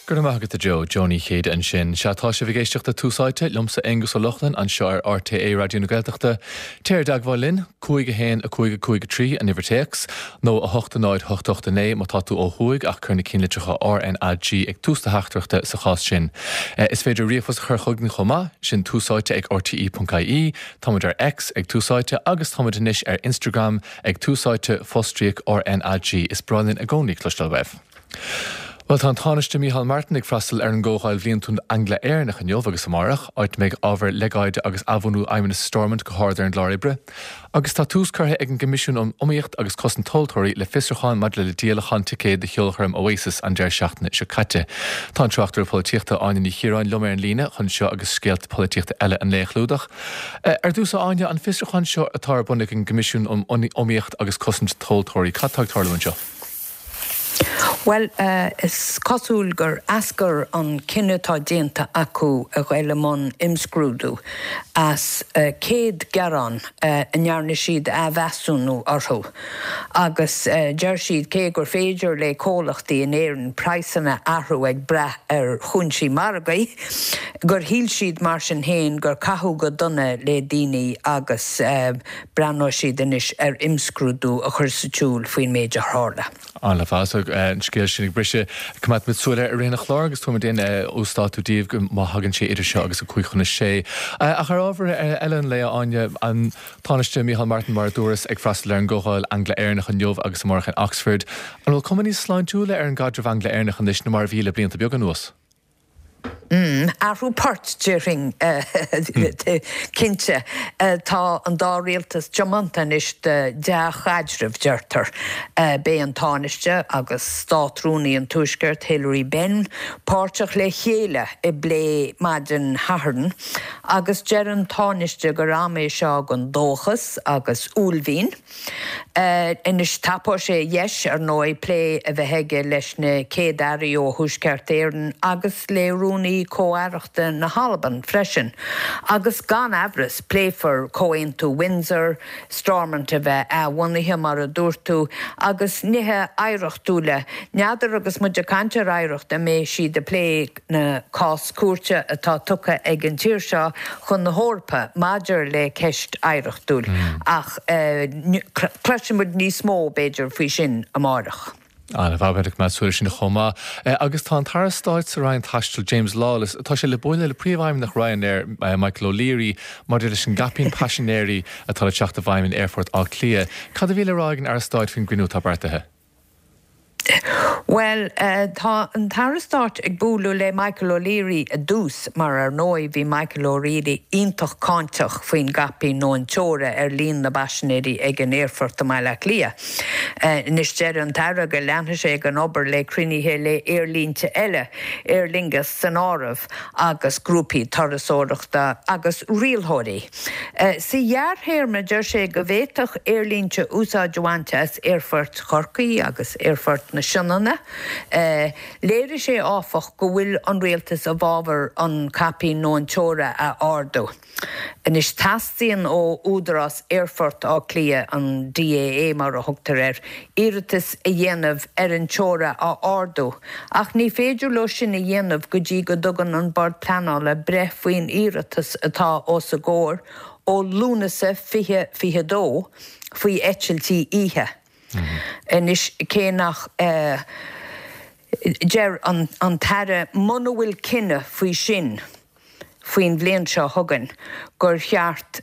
Go raibh maith agat a Joe. Joe Ní Chéide ansin. Sea, tá sibh ag éisteacht le Tús Áite, liomsa Aonghus Ó Lochlainn, anseo ar RTÉ Raidió na Gaeltachta. Téir i dteagmháil linn, 5 1 5 5 3 an uimhir téacs, nó 8 0 8 8 9 má tá tú ó thuaidh ach cuir na cinnlitreacha RnaG ag tús do theachtaireachta sa chás sin. Is féidir ríomhphost a chur chugainn chomh maith, sin túsáite ag rte.ie. Táimid ar X ag Tús Áite agus táimid anois ar Instagram ag Tús Áite, fostríoc RnaG. Is breá linn i gcónaí cloisteáil uaibh. Bhuel, tá an Tánaiste Micheál Martin ag freastal ar an gComhdháil Bhliantúil Angla-Éireannach inniu agus amárach, áit a mbeidh ábhar legáide agus athbhunú Fheidhmeannas Stormont go hard ar an gclár oibre. Agus tá tús curtha ag an gCoimisiún um Iomaíocht agus Cosaint Tomhaltóirí le fiosrúchán maidir le díolachán ticéad do cheolchoirm Oasis an deireadh seachtaine seo caite. Tá an tráchtaire polaitíochta Áine Ní Chiaráin liom ar an líne chun seo agus scéalta polaitíochta eile an lae a chlúdach. Ar dtús, a Áine, an fiosrúchán seo atá ar bun ag an gCoimisiún um Iomaíocht agus Cosaint Tomhaltóirí, cad tá ag tarlú anseo? Bhuel, is cosúil gur eascair an cinneadh atá déanta acu a ghoil i mbun imscrúdú as 100 gearán a ndearna siad athmheasúnú orthu agus deir siad cé gur féidir le comhlachtaí in Éirinn praghsanna a athrú ag brath ar chúinsí margaidh, gur shíl siad mar sin féin gur caitheadh go dona le daoine agus Breathnóidh siad anois ar imscrúdú a chur sa tsiúl faoin méid a tharla. An-mhaith, an scéal sin ag briseadh. Coimeádfaimid súil air i rith an chláir agus tabharfaimid aon uasdátú daoibh má thagann sé idir seo agus 5:55. Ach ar ábhar eile an lae, a Áine, an Tánaiste Micheál Martin, mar a dúras, ag freastal ar an gComhdháil Angla-Éireannach inniu agus amárach in Oxford. An bhfuil cuma níos sláintiúla ar an gcaidreamh Angla-Éireannach anois ná mar a bhí le blianta beaga anuas? Athrú poirt, déarfainn, cinnte. Tá an dá rialtas tiomanta anois do dea-chaidreamh, deirtear. Beidh an Tánaiste agus Státrúnaí an Tuaiscirt, Hilary Benn, páirteach le chéile i bplé maidin Shathairn agus deir an Tánaiste gur am é seo don dóchas agus uaillmhian. Anois, tapóidh sé a dheis, ar ndóigh, plé a bheith aige leis na Céad-Airí ó Thuaisceart Éireann agus le Rúnaí Comh-Aireachta na hAlban freisin. Agus gan amhras, pléifear Comhaontú Windsor, Stormont a bheith athbhunaithe, mar a dúirt tú, agus nithe oidhreachtúla. N'fheadar, agus muid ag caint ar oidhreacht, an mbeidh siad ag plé na cás cúirte atá tugtha ag an tír seo chun na hEorpa maidir le ceist oidhreachtúil ach cloisfidh muid níos mó, b'fhéidir, faoi sin amáireach. An-mhaith, beimid ag coimeád súil air sin chomh maith. Agus tá an tAire Stáit sa Roinn Taistil, James Lawless, tá sé le bualadh le Príomhfheidhmeannach Ryanair, Michael O'Leary, maidir leis an gcaipín paisinéirí atá le teacht i bhfeidhm in Aerfort Átha Cliath. Cad a bhí le rá ag an Aire Stáit faoin gcruinniú atá beartaithe? Bhuel, tá an tAire Stáit ag bualadh le Michael O'Leary i dtús, mar ar ndóigh bhí Michael O'Leary iontach cáinteach faoin gcaipín nó an teora ar líon na bpaisinéirí ag an aerfort i mBaile Átha Cliath. Anois deir an tAire go leanfaidh sé den obair le cruinnithe le aerlínte eile, Aer Lingus san áireamh, agus grúpaí turasóireachta agus rialthóirí. Sa ghearrthéarma, deir sé go bhféadfadh aerlínte úsáid a bhaint as aerfoirt Chorcaí agus aerfort na Sionainne. Léirigh sé, áfach, go bhfuil an rialtas i bhfabhar an caipín nó an teora a ardú. Anois, teastaíonn ó Údarás Aerfort Átha Cliath, an DAA mar a thugtar air, iarratas a dhéanamh ar an teora a ardú, ach ní féidir leo sin a dhéanamh go dtí go dtugann an Bord Pleanála breith faoin iarratas atá os a gcomhair ó Lúnasa 2022 faoi eitiltí oíche. Anois, cé nach deir an tAire muna bhfuil cinneadh faoi sin, faoin bhliain seo chugainn gur cheart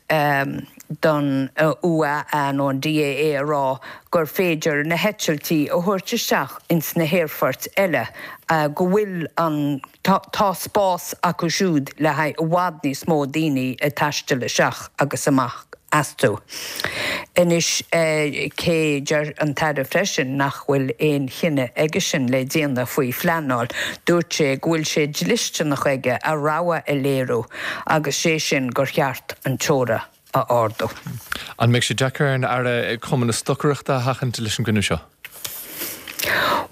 don ÚAA nó an DAA a rá gur féidir na heitiltí a thabhairt isteach ins na haerfoirt eile, go bhfuil an, tá spás acu siúd le haghaidh i bhfad níos mó daoine ag taisteal isteach agus amach astu. Anois, cé deir an tAire freisin nach bhfuil aon chinneadh aigesean le déanamh faoi phleanáil, dúirt sé go bhfuil sé dlisteanach aige a rogha a léiriú agus sé sin gur cheart an teora a ardú. An mbeidh sé deacair ar an Aire cuma na stocaireachta a sheachaint leis an gcruinniú seo?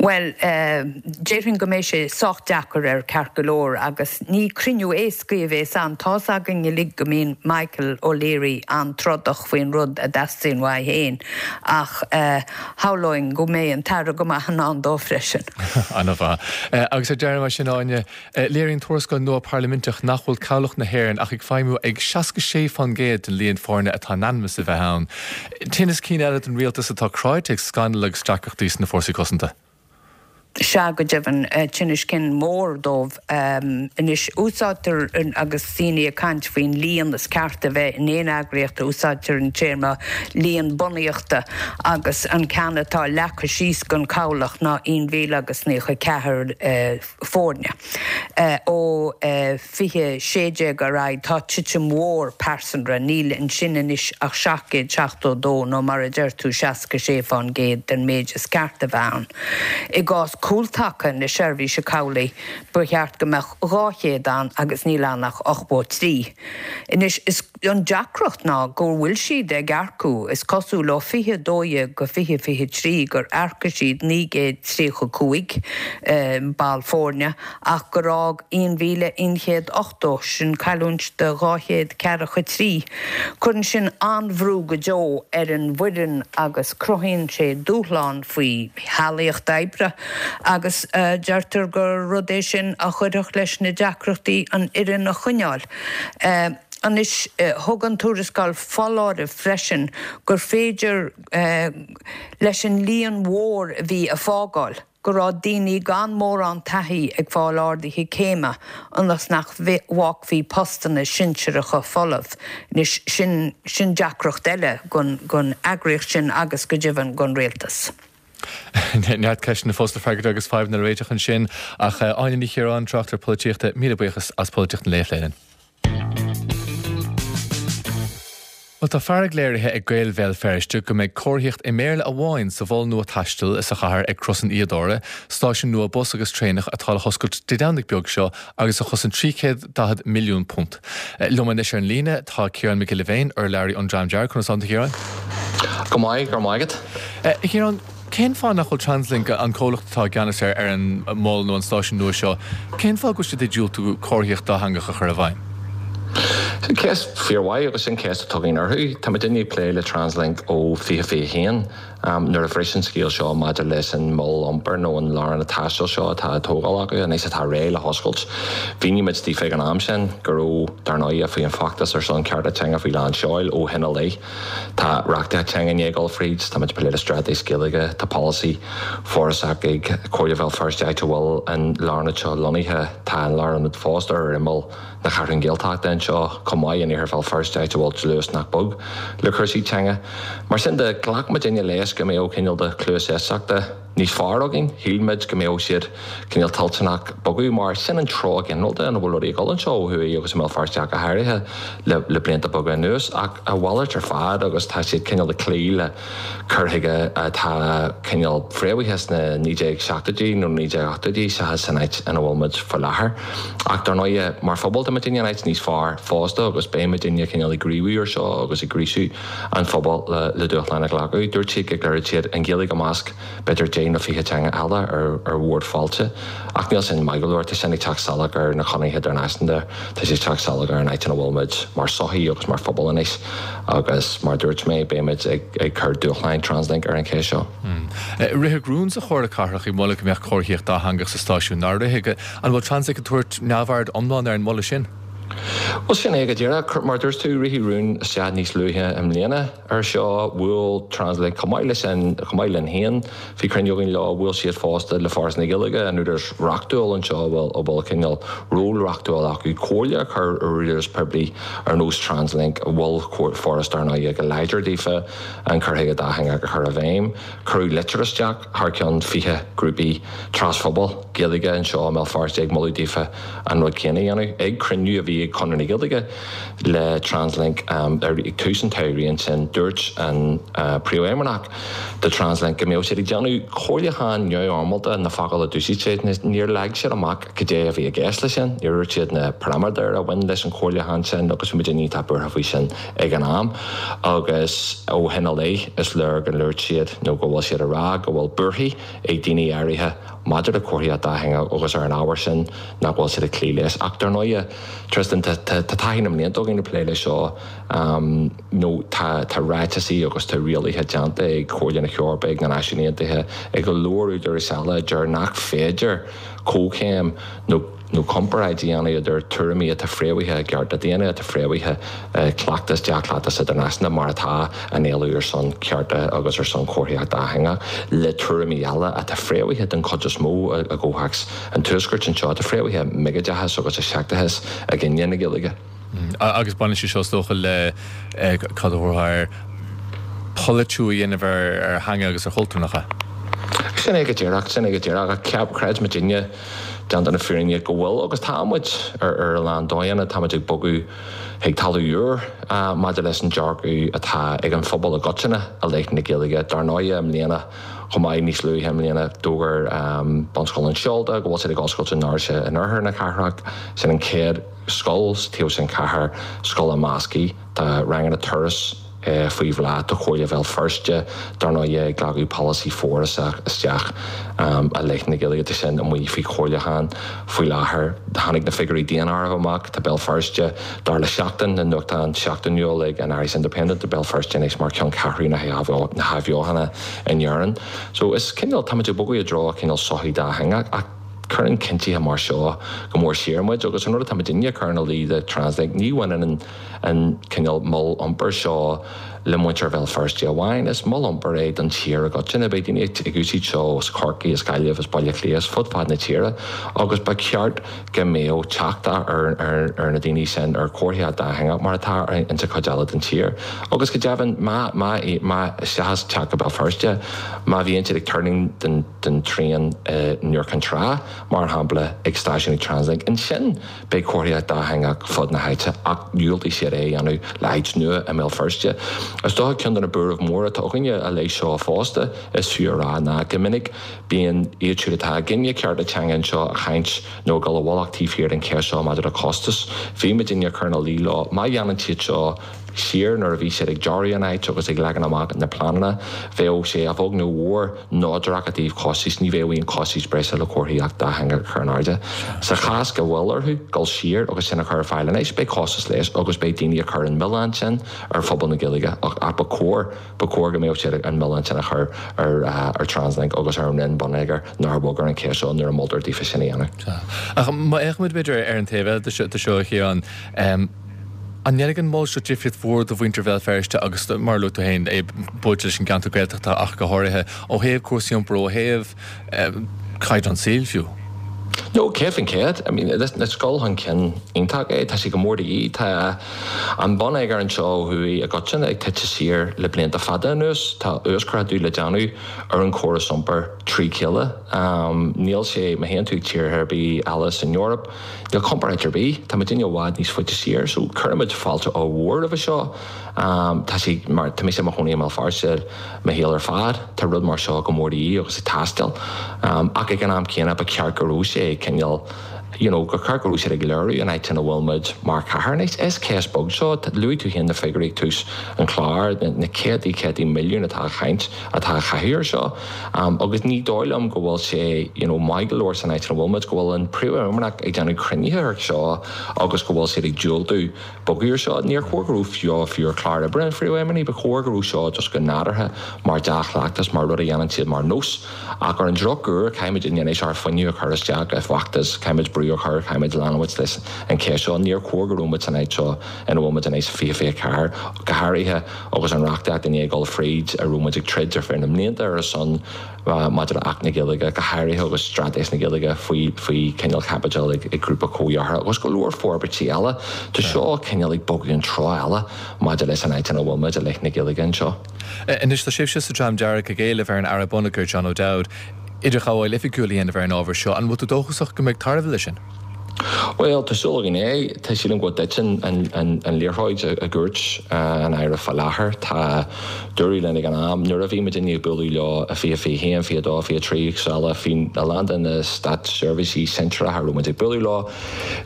Bhuel, déarfainn go mbeidh sé sách deacair air ceart go leor agus ní cruinniú éascaí a bhéas ann. Tá's againn uilig go mbíonn Michael O'Leary an-trodach faoin rud a dteastaíonn uaidh féin ach shamhlóinn go mbeidh an tAire go maith in ann dó freisin. An-mhaith. Agus ar deireadh mar sin, Áine, Léiríonn tuarascáil nua parlaiminteach nach bhfuil Cabhlach na hÉireann ach ag feidhmiú ag 66% den líon foirne atá in ainm is a bheith ann. Tinneas cinn eile don rialtas atá cráite ag scannail agus deacrachtaí sna fórsaí cosanta. Sea, go deimhin, tinneas cinn mór dóibh. Anois, úsáidtear, agus daoine ag caint faoin líon is ceart a bheith in aon eagraíocht, úsáidtear an téarma líon bunaíochta agus an ceann atá leagtha síos don Chabhlach ná aon mhíle agus 94 foirne. Ó 2016 ar aghaidh tá titim mhór pearsanra, níl ansin anois ach 772 nó mar a deir tú 66% den méid is ceart a bheith ann. I gcás Cúltaca na Seirbhíse Cabhlaigh ba cheart go mbeadh 200 ann agus níl ann ach 83. Anois is an deacracht ná go bhfuil siad ag earcú, is cosúil ó 2012 go 2023 gur earcaigh siad 935 ball foirne ach gur fhág 1,180, sin cailliúint de 243. Cuireann sin an-bhrú go deo ar an bhfoireann agus cruthaíonn sé dúshlán faoi shealaíocht oibre agus deirtear gur rud é sin a chuirfeadh leis na deacrachtaí an fhoireann a choinneáil. Anois, thug an tuarascáil foláireamh freisin gur féidir leis an líon mhór a bhí ag fágáil, go raibh daoine gan mórán taithí ag fáil arduithe céime ionas nach bhfágfaí postanna sinsearacha folamh. Anois, sin, sin deacracht eile don eagraíocht sin agus go deimhin don rialtas. Neart ceisteanna fós le freagairt agus fadhbanna le réiteach ansin ach Áine Ní Chiaráin, tráchtaire polaitíochta, míle buíochas as Polaitíocht an Lae a phlé linn. Bhuel, tá fearg léirithe ag Gaeil Bhéal Feirste go mbeidh comharthaíocht i mBéarla amháin sa mhol nua taistil sa chathair ag Crois an Fhíodóra, stáisiún nua bus agus traenach atá le hoscailt Dé Domhnaigh beag seo agus a chosain £340 milliún. Liom anois ar an líne tá Ciarán Mac Giolla Bhéin, urlabhraí ón Dream Dearg. Conas tánn tú, a Chiaráin? Go maith, go raibh maith agat. A Chiaráin, cén fáth nach bhfuil Translink, an comhlacht atá i gceannas ar an mol nó an stáisiún nua seo, cén fáth go bhfuil siad ag diúltú comharthaíocht dátheangach a chur i bhfeidhm? Sin ceist fíormhaith agus sin ceist atá againn orthu. Tá muidinne ag plé le Translink ó 2021. Nuair a bhris an scéal seo maidir leis an mol iompair nó an lárionad taistil seo atá á tógáil acu anois atá réidh le hoscailt, mhínigh muid daofa ag an am sin go raibh, dar ndóigh, faoi an feachtas ar son cearta teanga faoi lán seoil ó shin i leith. Tá reachtaíocht teanga i ndiaidh dul fríd, tá muid ag plé le straitéis Gaeilge, tá polasaí forásach ag Comhairle Bhéal Feirste áit a bhfuil an lárionad seo lonnaithe, tá an lárionad fosta ar imeall na Ceathrún Gaeltachta anseo chomh maith in Iarthar Bhéal Feirste áit a bhfuil dlús nach beag le cúrsaí teanga. Mar sin de, ghlac muidinne leis go mbeadh cineál de chluas éisteachta níos fearr againn. Shíl muid go mbeadh siad cineál toilteanach bogadh mar sin an treo ginearálta ina bhfuil rudaí ag dul anseo ó thuaidh agus i mBéal Feirste ach go háirithe le blianta beaga anuas. Ach a mhalairt ar fad agus tá siad cineál ag cloí le cur chuige atá cineál fréamhaithe sna 1970idí nó 1980idí seachas san áit ina bhfuil muid faoi láthair. Ach dar ndóighe, mar phobal tá muidinne in áit níos fearr fosta agus beidh muidinne cineál ag gníomhú ar seo agus ag gríosú an phobail le dúshlán a ghlacadh. Dúirt siad go gcuirfeadh siad an Ghaeilge i measc b'fhéidir 10 nó 20 teanga eile ar bhord fáilte. Ach níl sin maith go leor, tá sin ag teacht salach ar na conarthaí idirnáisiúnta, tá sé ag teacht salach ar an áit ina bhfuil muid mar sochaí agus mar phobal anois agus mar a dúirt mé, beidh muid ag cur dúshláin Translink ar an cheist seo. Ritheadh rún sa Chomhairle Cathrach ag moladh go mbeadh comharthaíocht dátheangach sa stáisiún, nár rith? An bhfuil Translink ag tabhairt neamhaird iomlán ar an moladh sin? Bhuel, sin é go díreach. Mar a dúirt tú, ritheadh rún isteach níos luaithe i mbliana. Ar seo, bhuail Translink chomh maith leis sin, chomh maith linn féin, bhí cruinniú againn leo, bhuail siad fosta le Foras na Gaeilge, an údarás reachtúil anseo a bhfuil, a bhfuil cineál ról reachtúil acu comhairle a chur ar údarás poiblí ar nós Translink, mhol Foras dar ndóigh go láidir daofa an cur chuige dátheangach a chur i bhfeidhm. Cuireadh litir isteach thar ceann 20 grúpaí trasphobail Gaeilge anseo i mBéal Feirste ag moladh daofa an rud céanna a dhéanamh. Ag cruinniú a bhí. bhí ag Conradh na Gaeilge le Translink ag tús an tsamhraidh ansin, dúirt an Príomhfheidhmeannach do Translink go mbeadh siad ag déanamh comhairliúchán neamhfhoirmeálta, na focail a d'úsáid siad. Níor leag siad amach cad é a bhí i gceist leis sin, níor dhúirt siad na paraiméadair a bhain leis an chomhairliúchán sin agus bhí muid iontach buartha faoi sin ag an am agus ó shin i leith is léir go ndúirt siad nó go bhfuil siad ag rá go bhfuil buarthaí ag daoine áirithe maidir le comharthaíocht dátheangach agus ar an ábhar sin nach bhfuil siad ag cloí leis. Ach dar ndóighe, Tristan, tá taithí na mblianta againn ag plé leis seo nó tá ráiteasaí agus tá rialaithe déanta ag Comhairle na hEorpa, ag na Náisiúin Aontaithe, ag go leor údarais eile a deir nach féidir comhchéim nó nó comparáid a dhéanamh idir tuairimí atá fréamhaithe i gcearta daonna, atá fréamhaithe i gcleachtas, dea-chleachtas idirnáisiúnta mar atá an éileamh ar son cearta agus ar son comharthaíocht dátheangach, le tuairimí eile atá fréamhaithe den chuid is mó i gcomhthéacs an Tuaiscirt anseo, atá fréamhaithe i mbiogóideachas agus i seicteachas i gcoinne na Gaeilge. Agus baineann sé seo is dócha le, cad a thabharfá air, polaitiú a dhéanamh ar theanga agus ar chultúr, nach ea? Sin é go díreach, sin é go díreach. Ach ceap, creid muidinne, déanta na fírinne, go bhfuil agus tá muid ar a lán dóigheanna, tá muid ag bogadh chuig talamh úr maidir leis an dearcadh atá ag an phobal i gcoitinne i leith na Gaeilge. Dar ndóighe, i mbliana chomh maith, níos luaithe i mbliana, d'fhógair Bunscoil an Seolta go bhfuil siad ag oscailt a ndoirse in oirthear na cathrach. Sin an chéad scoil sa taobh sin cathair, scoil imeasctha, tá ranganna turas faoi bhláth, tá Comhairle Bhéal Feirste, dar ndóighe, ag glacadh polasaí forásach isteach i leith na Gaeilge, tá sin amuigh faoi chomhairliúchán faoi láthair. Tháinig na figiúirí daonáirimh amach, tá Béal Feirste, dar le Seachtain, an nuachtán seachtainiúil ag an Irish Independent, tá Béal Feirste anois mar cheanncheathrú na hathbheochana in Éirinn. So is cineál, táimid ag bogadh i dtreo cineál sochaí dátheangach ach, Cuireann cinntithe mar seo go mór siar muid agus an rud atá muidinne ag cur ina luí do Translink, ní bhaineann an cineál mol iompair seo le muintir Bhéal Feirste amháin, is mol iompair é don tír i gcoitinne. Beidh daoine ag úsáid seo as Corcaigh, as Gaillimh, as Baile Átha Cliath, as fud fad na tíre agus ba cheart go mbeadh teacht ar na daoine sin ar chomharthaíocht dátheangach mar atá insa chuid eile den tír. Agus go deimhin, má, má, má, seachas teacht go Béal Feirste, má bhíonn siad ag tuirlingt den. den traein i nIúr Cinn Trá, mar shampla, ag stáisiún ag Translink. Ansin beidh comharthaíocht dátheangach fud na háite ach dhiúltaigh siad é a dhéanamh le háit nua i mBéal Feirste. Is dócha ceann de na buairimh mhóra atá againne i leith seo fosta, is fiú a rá, ná go minic bíonn iad siúd atá i gcoinne cearta teanga anseo ag caint nó ag dul i bhfolach taobh thiar den cheist seo maidir le costas. Bhí muidinne ag cur ina luí leo má dhéanann siad seo, siar nuair a bhí siad ag dearadh an áit agus ag leagan amach na pleananna, bheadh sé a bheag nó a mhór neodrach i dtaobh costais, ní bheadh aon chostais breise le comharthaíocht dátheangach a chur in airde. Sa chás go bhfuil orthu dul siar agus sin a chur ar fáil anois, beidh costas leis agus beidh daoine ag cur an milleán sin ar phobal na Gaeilge ach ba chóir, ba chóir go mbeadh siad an milleán sin a chur ar ar Translink agus ar an Roinn Bonneagair nár bhog ar an cheist seo nuair a moltar daofa sin a dhéanamh. Ach má fhéachaimid b'fhéidir ar an taobh eile de seo a Chiaráin, An ndéanfaidh an mol seo difríocht mhór do mhuintir Bhéal Feirste agus, mar a luaigh tú féin, é buailte leis an gceantar Gaeltachta ach go háirithe, ó thaobh cúrsaí iompair, ó thaobh caighdeán saoil fiú? No, 100%. I mean, is dul chun cinn iontach é. Tá sé go mór de dhíth. Tá an bonneagar anseo ó thuaidh i gcoitinne ag titim siar le blianta fada anuas. Tá uasghrádú le déanamh ar an chóras iompair trí chéile. Níl sé, má théann tú ag tíortha ar bith eile san Eoraip, Níl comparáid ar bith, tá muidinne i bhfad níos faide siar, so cuirimid fáilte ollmhór roimhe seo. Tá sé mar, tá mise i mo chónaí i mBéal Feirste mo shaol ar fad, tá rud mar seo go mór de dhíth agus ag teastáil. Ach ag an am céanna ba cheart go raibh sé cineál, you know, gur cheart go raibh siad ag léiriú an áit ina bhfuil muid mar chathair anois. Is ceist beag seo, luaigh tú féin na figiúirí ag tús an chláir, na céadtaí, céadtaí milliún atá á chaint, atá á chaitheamh ar seo. Agus ní dóigh liom go bhfuil sé you know maith go leor san áit ina bhfuil muid, go bhfuil an Príomhfheidhmeannach ag déanamh cruinnithe ar seo agus go bhfuil siad ag diúltú bogadh ar seo. Níor chóir go raibh seo fiú ar chlár oibre an Phríomhfheidhmeannaigh, ba chóir go raibh seo just go nádúrtha mar dea-chleachtas, mar rud a dhéanann siad mar nós. Ach ar an drochuair, caithfimid anois ár fuinneamh a chur isteach i bhfeachtas, caithfimid brú a chur, caithfimid leanúint leis an cheist seo. Níor chóir go raibh muid san áit seo ina bhfuil muid anois i 2024, go háirithe agus an reachtaíocht i ndiaidh dul fríd, a raibh muid ag troid ar feadh na mblianta ar a son maidir le Acht na Gaeilge, go háirithe agus Straitéis na Gaeilge faoi faoi cineál chaibidil ag grúpa comhdheartha agus go leor forbairtí eile. Tá seo cineál ag bogadh an treo eile maidir leis an áit ina bhfuil muid i leith na Gaeilge anseo. Anois tá sibhse sa Dream Dearg ag éileamh ar an Aire Bonneagair, John O'Dowd, idirghabháil oifigiúil a dhéanamh ar an ábhar seo. An bhfuil tú dóchasach go mbeidh tairbhe leis sin? Bhuel, tá súil againn é. Tá sílim go dtiteann an liathróid i gcúirt an Aire fá láthair. Tá dúradh linn ag an am, nuair a bhí muidinne ag bualadh leo i 2021, 22, 23 agus eile, bhí a lán de na státseirbhísigh sinsearacha a raibh muid ag bualadh leo,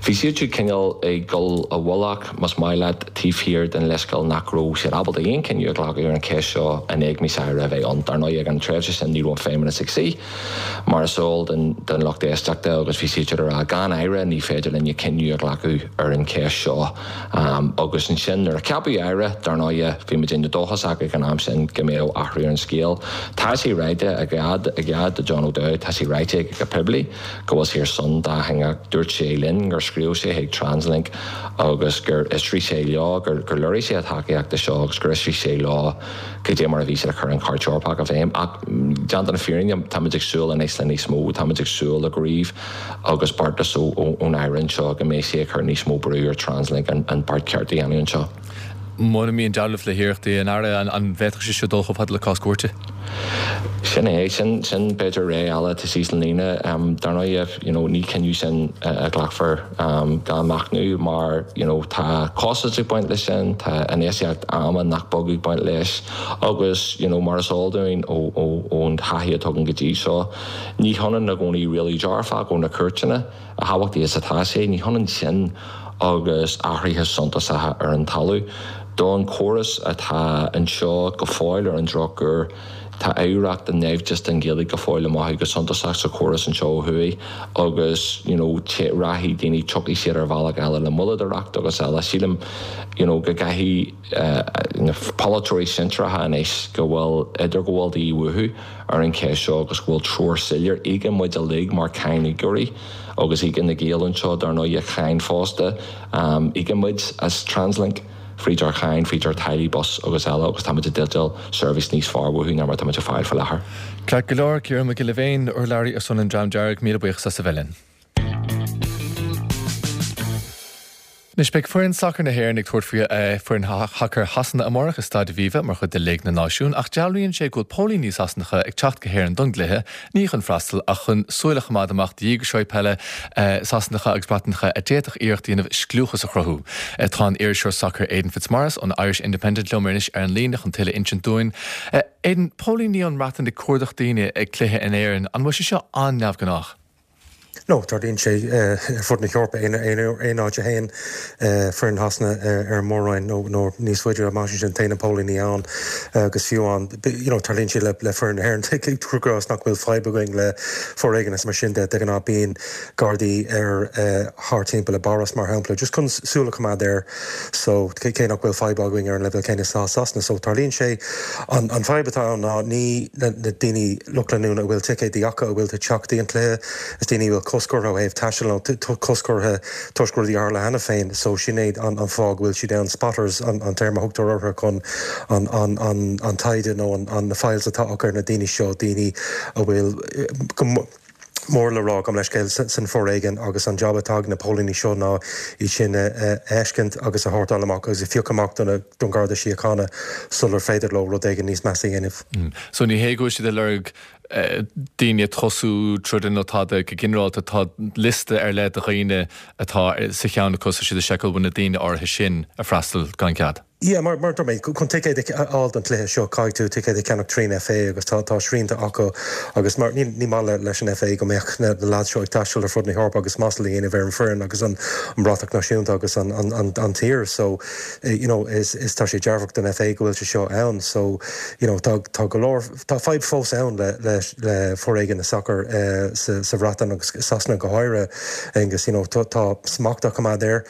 bhí siad siúd cineál ag dul i bhfolach, más maith leat, taobh thiar den leithscéal nach raibh siad ábalta aon chinneadh a ghlacadh ar an cheist seo in éagmais Aire a bheith ann. Dar ndóigh, ag an tréimhse sin ní raibh an Feidhmeannas ag suí. Mar is eol don lucht éisteachta, agus bhí siad siúd ag rá, gan Aire ní féidir linne cinneadh a ghlacadh ar an cheist seo. Agus ansin nuair a ceapadh Aire, dar ndóighe, bhí muidinne dóchasach ag an am sin go mbeadh athrú ar an scéal. Tá sé ráite i gcead do John O'Dowd, tá sé ráite aige go poiblí go bhfuil sé ar son dátheangach. Dúirt sé linn gur scríobh sé chuig Translink agus gur fhiosraigh sé leo, gur léirigh sé a thacaíocht do seo agus gur fhiosraigh sé leo cad é mar a bhí siad ag cur an Chairt Eorpach i bhfeidhm. Ach, déanta na fírinne, táimid ag súil anois le níos mó, táimid ag súil le gníomh agus beartas ón Aire anseo go mbeidh sé ag cur níos mó brú ar Translink an beart ceart a dhéanamh anseo. Mura mbíonn dealramh le hiarrachtaí an Aire, an bhféadfadh sé seo dul chomh fada le cás cúirte? Sin é, sin, sin b'fhéidir ré eile atá síos an líne. Dar ndóigh, you know, ní cinneadh sin a ghlacfar gan machnamh mar, you know, tá costas ag baint leis sin, tá infheistíocht ama nach beag ag baint leis agus, you know, mar is eol dúinn ó, ó, ón taithí atá againn go dtí seo, ní hionann i gcónaí rialú dearfach ó na cúirteanna, a thábhachtaí is atá sé, ní hionann sin agus athruithe suntasacha ar an talamh. Don chóras atá anseo go fóill ar an drochuair, tá oidhreacht an naimhdis don Ghaeilge go fóill le mothú go suntasach sa chóras anseo ó thuaidh agus you know rachaidh daoine, tiocfaidh siad ar bhealach eile le moilleadóireacht agus eile. Sílim you know go gcaithfidh na polaiteoirí sinsearacha anois go bhfuil idirghabháil de dhíth uathu ar an cheist seo agus go bhfuil treoir soiléir. Íocann muid uilig mar cháiníocóirí agus íocann na Gaeil anseo dar ndóigh cáin fosta. Íocann muid as Translink fríd ár cháin, fríd ár táillí bus agus eile agus táimid i dteideal seirbhís níos fearr uathu ná mar atáimid ag fáil faoi láthair. Ceart go leor, Ciarán Mac Giolla Bhéin, urlabhraí ar son an Dream Dearg, míle buíochas as a bheith linn. Anois, beidh foireann sacair na hÉireann ag tabhairt faoi foireann shacair Shasana amárach i Staid Aviva mar chuid de Léig na Náisiún ach dealraíonn sé go bhfuil póilíní Sasanacha ag teacht go hÉirinn don gcluiche, ní chun freastal ach chun súil a choimeád amach do dhíograiseoirí peile Sasanacha agus Breatanacha a d'fhéadfadh iarracht a dhéanamh scliúchas a chruthú. Tá an t-iriseoir sacair Aidan Fitzmaurice ón Irish Independent liom anois ar an líne chun tuilleadh a insint dúinn. Aidan, póilíní ón mBreatain ag cuardach daoine ag cluiche in Éirinn, an bhfuil sé seo an-neamhghnách? No, tarlaíonn sé ar fud na hEorpa, aon áit a théann foireann Shasana ar an mór-roinn nó níos faide amach ansin, téann na póilíní ann agus fiú amháin, you know, tarlaíonn sé le foireann na hÉireann, cuir i gcás nach bhfuil fadhb againn le foréigean is mar sin de, de ghnáth bíonn Gardaí ar thart timpeall i bPáras mar shampla, just chun súil a choimeád air so cé nach bhfuil fadhb againn ar an leibhéal céanna is atá Sasana so tarlaíonn sé. An fadhb atá ann ná ní na daoine lucht leanúna a bhfuil ticéidí acu a bhfuil ag teacht dtí an cluiche, is daoine a bhfuil cosc orthu ó thaobh taistil nó cosc orthu toisc rudaí a tharla cheana féin so sin é an fáth go bhfuil siad ann. Spotters an téarma a thugtar orthu chun an taighde nó na files atá acu ar na daoine seo, daoine a bhfuil go mór le rá, gabh mo leithscéal, san foréigean agus an jab atá ag na póilíní seo ná iad sin a fheiscint agus a shórtáil amach agus a phiocadh amach don Gharda Síochána sular féidir leo rud éigin níos measa a dhéanamh. So ní hé go bhfuil siad ag lorg daoine ag tosú troda nó tada go ginearálta, tá liosta ar leith de dhaoine atá sa cheann acu so tá siad ag seiceáil bhfuil na daoine áirithe sin ag freastal gan cead. Yeah, mar mar dúirt mé, chun ticéad a fháil don chluiche seo, caithfidh tú ticéad a cheannach trín FA agus tá tá srianta acu agus mar ní ní maith le leis an FA go mbeadh na na lads seo ag taisteal ar fud na hEorpa agus masla a dhéanamh ar an foireann agus an an bratach náisiúnta agus an an an an tír so you know is is tá sé dearfach don FA go bhfuil sé seo ann so you know tá tá go leor tá fadhb fós ann le le le foréigean i sacar sa sa Bhreatain agus Sasana go háirithe agus you know tá tá smacht á choimeád air.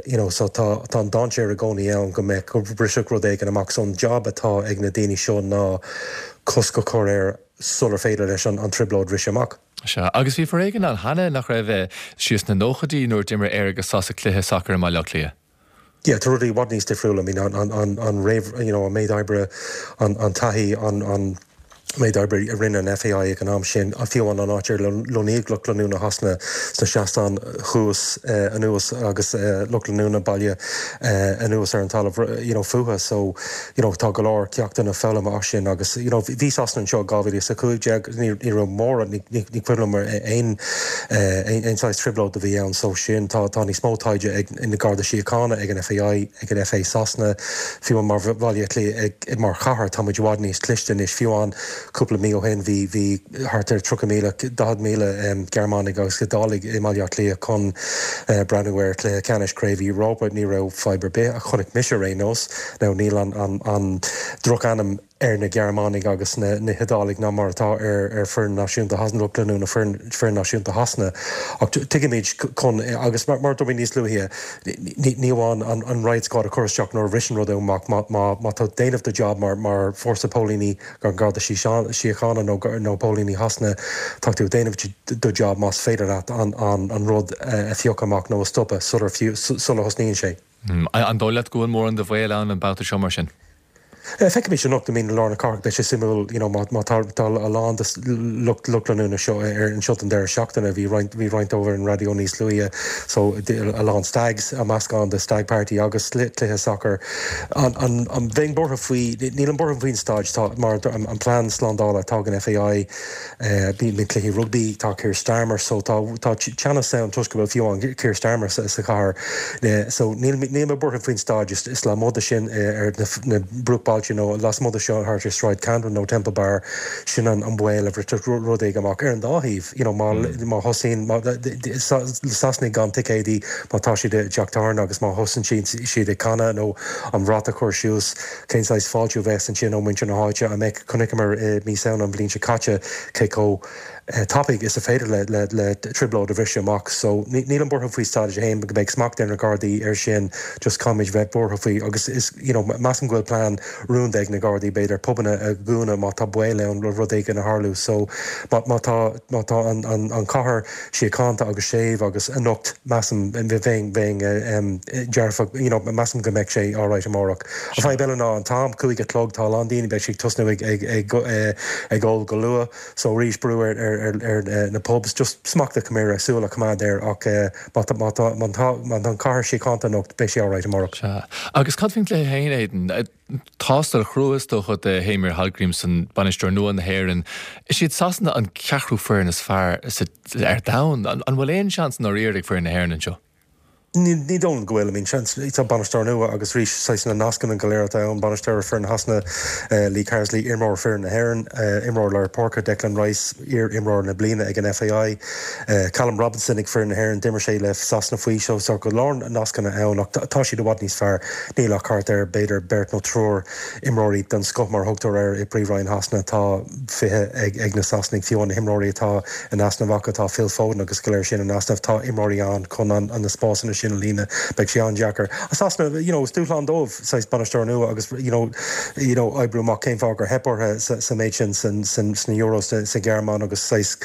You know so tá tá an dainséar i gcónaí ann go mbeadh go mbrisfeadh rud éigin amach so an job atá ag na daoine seo ná cosc a chur air sular féidir leis an an trioblóid briseadh amach. Sea, agus bhí foréigean ann cheana, nach raibh, siar sna nóchaidí nuair a d'imir Éire agus Sasana cluiche sacair i mBaile Átha Cliath. Yeah, tá rudaí i bhfad níos difriúla, I mean an an an réamh you know an méid oibre, an an taithí, an an. Méid oibre a rinne an FAI ag an am sin, fiú amháin an áit ar lonnaíodh lucht leanúna Shasana sna seastáin thuas anuas agus lucht leanúna baile anuas ar an talamh you know fúthu. So you know tá go leor ceachtanna foghlamtha as sin agus you know bhí Sasana anseo i 2015, ní ní raibh mórán, ní ní cuimhin liom aon aon saghas trioblóid a bhí ann so sin tá tá níos mó taighde ag na Garda Síochána, ag an FAI, ag an FA Sasana, fiú amháin mar Bhaile Átha Cliath ag mar chathair, tá muid i bhfad níos cliste anois. Fiú amháin cúpla mí ó shin bhí bhí thart ar 30,000, 40,000 Gearmánaigh agus Iodálaigh i mBaile Átha Cliath chun breathnú ar chluiche ceannais Craobh Europa. Ní raibh fadhb ar bith a chonaic mise ar aon nós. Now níl an an an drochainm ar na Gearmánaigh agus na hIodálaigh ná mar atá ar foireann náisiúnta Shasana, lucht leanúna foireann náisiúnta Shasana. Ach tuigimid chun, agus mar a dúirt mé níos luaithe, ní amháin an riot squad a chur isteach nuair a bhriseann rud amach, má tá déanamh do job mar fórsa póilíní, an Garda Síochána nó póilíní Shasana, tá tú ag déanamh do job más féidir leat an rud a phiocadh amach nó a stopadh sular thosnaíonn sé. An dóigh leat go bhfuil mórán de bhaol ann an babhta seo mar sin? Feicfimid anocht, I mean, i lár na cathrach, beidh sé suimiúil, you know, má má tá tá a lán de lucht lucht leanúna seo ar anseo don deireadh seachtaine, bhí roinnt bhí roinnt dóibh ar an raidió níos luaithe, so a lán stags, a meascán de stag party agus cluiche sacair. An an an bheinn buartha faoi, nílim buartha faoin staid, tá mar an an plean slándála atá ag an FAI, Bíonn cluichí rugbaí, tá Keir Starmer so tá tá teannas ann toisc go bhfuil fiú amháin Keir Starmer sa sa chathair. So níl níl mé buartha faoin staid is is lasmuigh de sin ar na na bruachbailte nó lasmuigh de seo thart ar Sráid Camden nó Temple Bar sin an an baol a bhrisfeadh rud éigin amach ar an dá thaobh you know má má thosaíonn má Sasanaigh gan ticéidí má tá siad i dteach tábhairne agus má thosaíonn siad ag canadh nó an brat a chur suas Cén saghas fáiltiú a bheas ansin ó mhuintir na háite? An mbeidh, chonaiceamar i mí Samhna an bhliain seo caite cé chomh tapaidh is a féidir le le trioblóid a bhriseadh amach. So nílim buartha faoi staid féin go mbeidh smacht ar na Gardaí air sin, just caithfimid bheith buartha faoi agus is you know measaim go bhfuil plean rúnda ag na Gardaí b'fhéidir pubanna a dhúnadh má tá baol ann le rud éigin a tharlú. So má má tá má tá an an an chathair síochánta agus séimh agus anocht measaim bheinn bheinn dearfach you know measaim go mbeidh sé alright amárach. An fadhb eile ná an t-am, 5 a chlog, tá a lán daoine beidh siad ag tosnú ag ag ag ag ól go luath so arís brú ar ar ar na pubs just smacht a choimeád súil a choimeád air ach má tá má tá má tá má tá an chathair síochánta anocht beidh sé alright amárach. Sea. Agus cad faoin gcluiche féin, Aidan? Tástáil chrua is dócha do Heimir Hallgrímsson, bainisteoir nua na hÉireann. Is iad Sasana an ceathrú foireann is fearr ar domhan. An bhfuil aon seans i ndáiríre ag foireann na hÉireann anseo? Ní dóigh liom go bhfuil. I mean, seans, tá bainisteoir nua agus arís, saghas na nascanna go léir atá ann, bainisteoir foireann Shasana, Lee Carsley, imreoir foireann na hÉireann, imreoir lár páirce Declan Rice, iar-imreoir na bliana ag an FAI, Callum Robinson ag foireann na hÉireann, d'imir sé le Sasana faoi so tá go leor nascanna ann ach tá siad i bhfad níos fearr. Níl ach thart ar, b'fhéidir, beirt nó triúr imreoirí den scoth mar a thugtar air i bPríomhroinn Shasana. Tá 20 ag na Sasanaigh, fiú na himreoirí atá in easnamh acu, tá Phil Foden agus go léir sin in easnamh, tá imreoirí ann chun na spásanna sin a líonadh. Beidh sé an-deacair. Sasana, you know, is dúshlán dóibh saghas bainisteoir nua agus you know, you know, oibriú amach cén fáth gur theip orthu sa méid sin sna Euros sa Ghearmáin agus saghas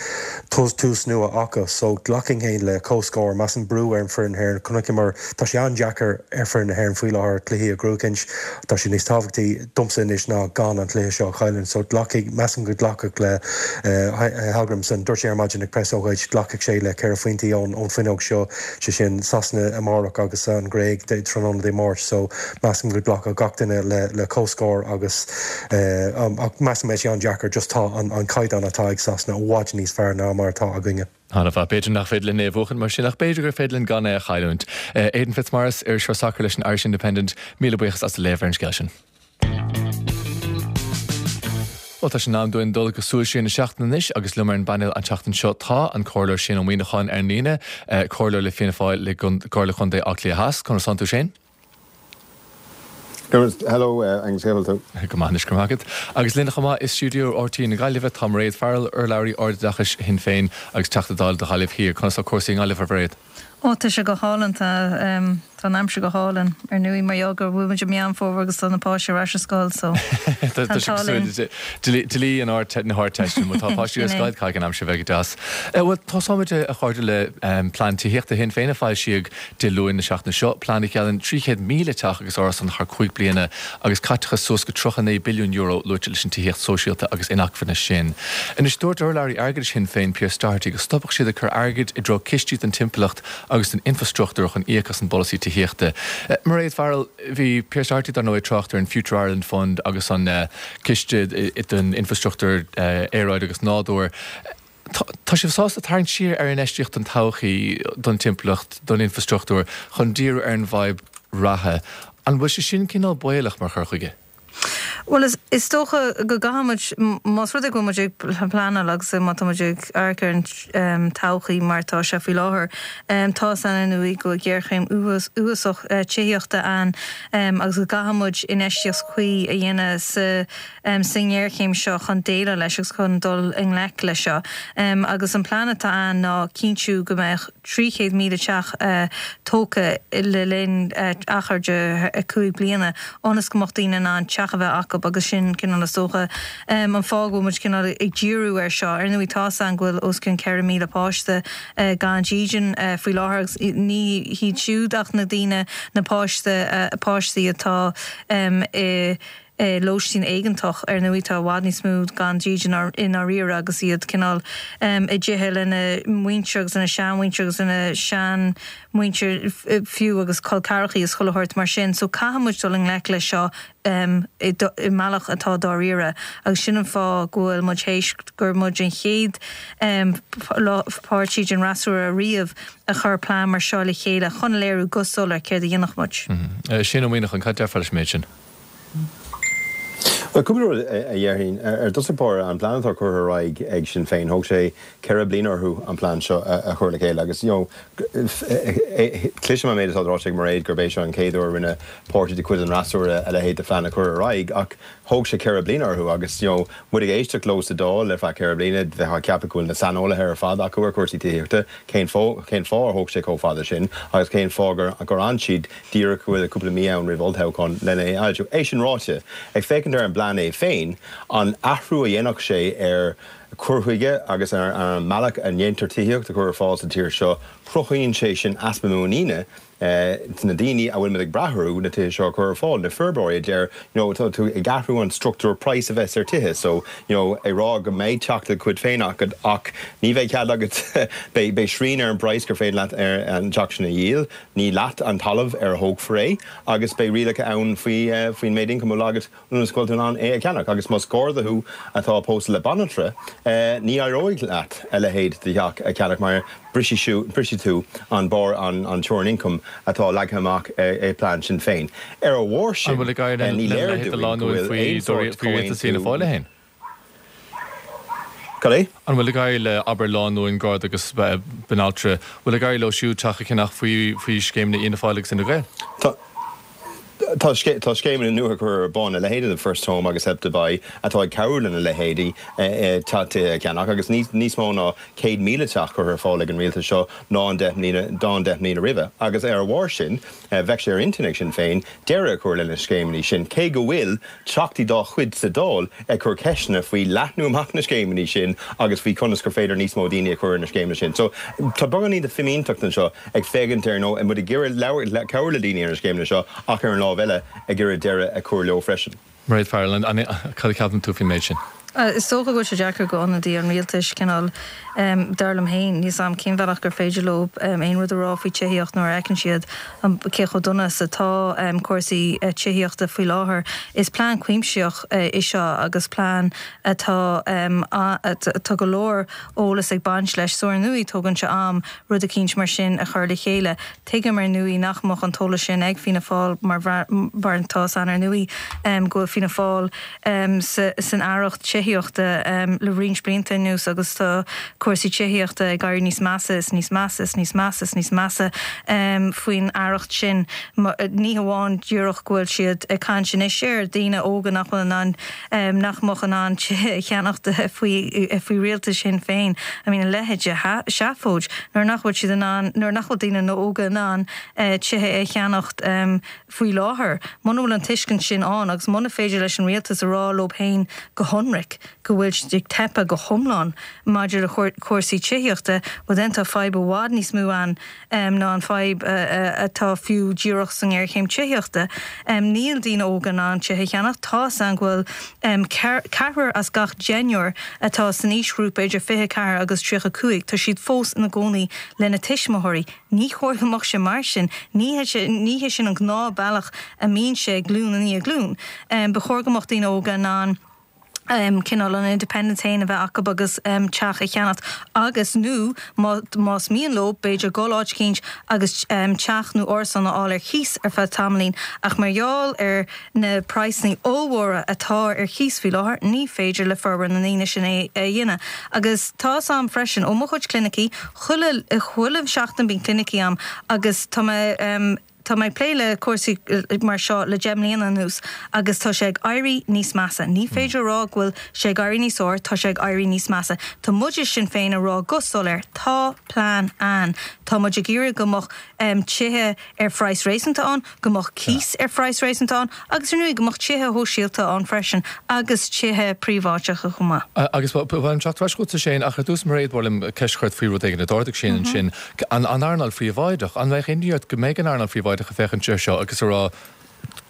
tús nua acu. So glacfainn féin le comhscór, measaim brú ar an foireann Éireann. Chonaiceamar Tá sé an-deacair ar foireann na hÉireann faoi láthair cluichí a ghnóthachaint. Tá sé níos tábhachtaí domsa anois ná gan an cluiche seo a chailliúint. So glacfaidh, measaim go nglacfadh le Hallgrímsson, dúirt sé ar maidin ag preasócáid, glacfaidh sé le ceithre phointí ón bhfuinneog seo, sé sin Sasana amárach agus an Ghréig tráthnóna Dé Máirt. So measaim go nglacfadh gach duine le comhscór agus ach measaim beidh sé an-deacair just tá an caighdeán atá ag Sasana i bhfad níos fearr ná mar atá againne. An-mhaith. B'fhéidir nach féidir linn é a bhuachan mar sin, ach b'fhéidir gur féidir linn gan é a chailliúint. Aidan Fitzmaurice, iriseoir sacair leis an Irish Independent, míle buíochas as do léamh ar an scéal sin. Bhuel, tá sé in am dúinn dul go Súil Siar na Seachtaine anois agus liom ar an bpainéal an tseachtain seo tá an Comhairleoir Shane Ó Muíneacháin ar an líne, Comhairleoir le Fianna Fáil le Comhairle Chontae Átha Cliath Theas. Conas tánn tú Shane? Hello, Angus, cén chaoi a bhfuil tú? Go maith anois, go raibh maith agat. Agus linn chomh maith i stiúideo RTÉ na Gaillimhe tá Mairéad Farrell, urlabhraí ardoideachais Shinn Féin agus Teachta Dála do Ghaillimh Thiar. Conas tá cúrsaí i nGaillimh, a Mhairéad? Ó, tá sé go hálainn. Tá. Tá an aimsir go hálainn, ar ndóigh, mar gheall go bhfuil muid i Meán Fómhair agus tá na páistí ar ais ar scoil so tá an t-ádh linn. Dlí an na hArdteiste, má tá páistí ar scoil caithfidh an aimsir bheith go deas. Bhuel, tosóimid a chairde le plean tithíochta Shinn Féin a foilsíodh Dé Luain na seachtaine seo, plean a gheallann 300,000 teach agus árasán thar 5 bliana agus caiteachas suas go €39 billiún luaite leis an tithíocht sóisialta agus inacmhainne sin. Anois, dúirt urlabhraí airgeadais Shinn Féin, Pearse Doherty, go stopfadh siad ag cur airgid i dtreo cistí don timpeallacht agus don infreastruchtúr chun íoc as an bpolasaí tithíochta. Mairéad Farrell, Bhí Pearse Doherty dar ndóigh ag trácht ar an Future Ireland Fund agus an ciste don infreastruchtúr aeráide agus nádúir. Tá sibh sásta tarraingt siar ar infheistíocht don todhchaí, don timpeallacht, don infreastruchtúr chun díriú ar an bhfadhb reatha. An bhfuil sé sin cineál baolach mar chur chuige? Bhuel, is dócha go gcaithfidh muid, más rud é go bhfuil muid ag pleanáil agus má tá muid ag amharc ar an todhchaí mar atá sé faoi láthair, tá a fhios againn ar ndóigh go bhfuil géarchéim uafásach tithíochta ann agus go gcaithfidh muid infheistíocht chuí a dhéanamh sa sa ngéarchéim seo chun déileáil leis agus chun dul i ngleic leis seo. Agus an plean atá ann ná cinntiú go mbeadh 300,000 teach tógtha le linn achar de 5 bliana ionas go mbeadh daoine in ann teach a bheith acu agus sin cineál is dócha an fáth go bhfuil muid cineál ag díriú air seo. Ar ndóigh tá a fhios againn go bhfuil os cionn 4,000 páiste gan dídean faoi láthair agus ní hiad siúd ach na daoine, na páiste, páistí atá i lóistín éigeantach. Ar ndóigh tá i bhfad níos mó gan dídean i ndáiríre agus iad cineál i dtithe lena muintir agus lena seanmhuintir agus lena seanmhuintir fiú agus col ceathrachaí is chuile shórt mar sin. So caithfidh muid dul i ngleic leis seo i mbealach atá dáiríre agus sin an fáth go bhfuil muid théis gur muid an chéad páirtí den fhreasúra riamh a chuir plean mar seo le chéile chun a léiriú go soiléir céard a dhéanfadh muid. Shane Ó Muíneacháin, cad déarfá leis an méid sin? Bhuel, cúpla rud a dhéarfainn. Ar dtosach báire, an plean atá curtha ar aghaidh ag Sinn Féin, thóg sé 4 bliana orthu an plean seo a chur le chéile agus, you know, cloisim an méid atá ráite ag Mairéad gurb é seo an chéad uair a rinne páirtí de chuid an fhreasúra a leithéid de phlean a chur ar aghaidh ach thóg sé 4 bliana orthu agus, you know, muid ag éisteacht leo sa Dáil ar feadh 4 bliana, bheifeá ag ceapadh go bhfuil na saineolaithe ar fad acu ar chúrsaí tithíochta, cén fáth, cén fáth ar thóg sé chomh fada sin agus cén fáth gur, gur fhan siad díreach go bhfuil cúpla mí ann roimh olltoghchán lena é a fhoilsiú. É sin ráite, ag féachaint ar an bplean é féin, an athrú a dhéanfadh sé ar chur chuige agus ar an mbealach a ndéantar tithíocht a chur ar fáil sa tír seo, cruthaíonn sé sin easpa muiníne sna daoine a bhfuil muid ag brath orthu na tithe seo a chur ar fáil, na forbróirí a deir, you know, tá tú ag athrú an struchtúr praghas a bheas ar tithe so, you know, ag rá go mbeidh teach de do chuid féin agat ach ní bheidh cead agat, beidh srian ar an bpraghas gur féidir leat an teach sin a dhíol. Ní leat an talamh ar a thógfar é agus beidh rialacha ann faoi faoin méid ioncaim a bhfuil agat ionas go bhfuil tú in ann é a cheannach. Agus más garda thú atá pósta le banaltra, ní éireoidh leat a leithéid de theach a cheannach mar brisfidh tú an barr, an teorainn ioncaim atá leagtha amach ag plean Sinn Féin. Ar a bharr An sin, bhfuil ag éirí ní lena léir leithéid de dúinn go lánúin bhfuil faoi aon sórt faoi rialtas Fianna comhaontú Fáil é féin? Cad é? An bhfuil ag éirí le, abair, lánúin, Garda agus banaltra, bhfuil ag éirí leo siúd teach a cheannach faoi faoi scéimeanna Fhianna Fáil agus Fhine Gael? Tá. Tá tá scéimeanna nua curtha ar bun, a leithéid de First Home agus Help to Buy, atá ag cabhrú lena leithéidí tithe a cheannach agus níos mó ná 100,000 teach curtha ar fáil ag an rialtas seo ná an 10 mbliana ná an 10 mbliana roimhe. Agus ar a bharr sin, bheadh sé ar intinn ag Sinn Féin deireadh a chur lena scéimeanna sin, cé go bhfuil Teachtaí dá chuid sa Dáil ag cur ceisteanna faoi leathnú amach na scéimeanna sin agus faoi conas gur féidir níos mó daoine a chur ar na scéimeanna sin. So, tá beagáinín de fimínteacht anseo ag féachaint ar nó muid ag iarraidh cabhrú le daoine ar na scéimeanna seo ach ar an lámh eile ag iarraidh deireadh a chur leo freisin. Mairéad Farrell, cad a cheapann tú faoin méid sin? Is dócha go bhfuil sé deacair go ionadaí an rialtais cineál, dar liom féin, níl 's a'm cén bhealach gur féidir leo aon rud a rá faoi tithíocht nuair a fheiceann siad cé chomh dona is atá cúrsaí tithíochta faoi láthair. Is plean cuimsitheach é seo agus plean atá, tá go leor eolas ag baint leis so ar ndóigh tógann sé am rud eicínt mar sin a chur le chéile. Tuigim ar ndóigh nach mbeadh an t-eolas sin ag Fianna Fáil mar tá 's againn ar ndóigh go bhfuil Fianna Fáil san aireacht tithíochta. tithíochta le roinnt blianta anuas agus tá cúrsaí tithíochta ag éirí níos measa is níos measa is níos measa is níos measa faoin aireacht sin. Ní hamháin díreach go bhfuil siad ag caint anois ar daoine óga nach bhfuil in ann, nach mbeadh in ann tithe a cheannacht faoi faoi rialtas Shinn Féin. I mean a leithéid de sheafóid nuair nach bhfuil siad in ann, nuair nach bhfuil daoine óga in ann tithe a cheannacht faoi láthair. Muna bhfuil an tuiscint sin ann agus muna féidir leis an rialtas a rá leo féin go hionraic go bhfuil siad ag teipeadh go hiomlán maidir le cúrsaí tithíochta, well then tá fadhb i bhfad níos mó ann ná an fadhb atá fiú díreach sa ngéarchéim tithíochta. Níl daoine óga in ann tithe a cheannach. Tá 'fhios a'm go bhfuil ceathrar as gach deichniúr atá san aoisghrúpa idir 24 agus 35, tá siad fós ina gcónaí lena tuismitheoirí. Ní chóir go mbeadh sé mar sin. Ní hé sin an gnáthbhealach a mbíonn sé glúin i ndiaidh glúin. Ba chóir go mbeadh daoine óga in ann cineál an independence féin a bheith acu agus teach a cheannacht agus, nó más mian leo, b'fhéidir dul áit eicínt agus teach nó árasán a fháil ar chíos ar feadh tamaillín. Ach mar gheall ar na praghsanna ollmhóra atá ar chíos faoi láthair, ní féidir le formhór na ndaoine sin é a dhéanamh. Agus tá 'fhios a'm freisin, ó mo chuid clinicí, chuile, chuile sheachtain bíonn clinicí a'm agus tá mé, tá mé ag plé le cúrsaí mar seo le 10 mbliana anuas agus tá sé ag éirí níos measa. Ní féidir a rá go bhfuil sé ag éirí níos fearr, tá sé ag éirí níos measa. Tá muid i Sinn Féin ag rá go soiléir, tá plean ann. Tá muid ag iarraidh go mbeadh tithe ar phraghas réasúnta ann, go mbeadh cíos ar phraghas réasúnta ann agus ar ndóigh go mbeadh tithe shóisialta ann freisin agus tithe príobháideacha chomh maith. Agus ba mhaith liom teacht ar ais chugatsa Shane ach ar dtús Mairéad ba mhaith liom ceist a chur ort faoi rud éigin a d'ardaigh Shane ansin, an earnáil phríobháideach. An mbeadh imní ort go mbeidh an earnáil phríobháideach ag féachaint air seo agus ag rá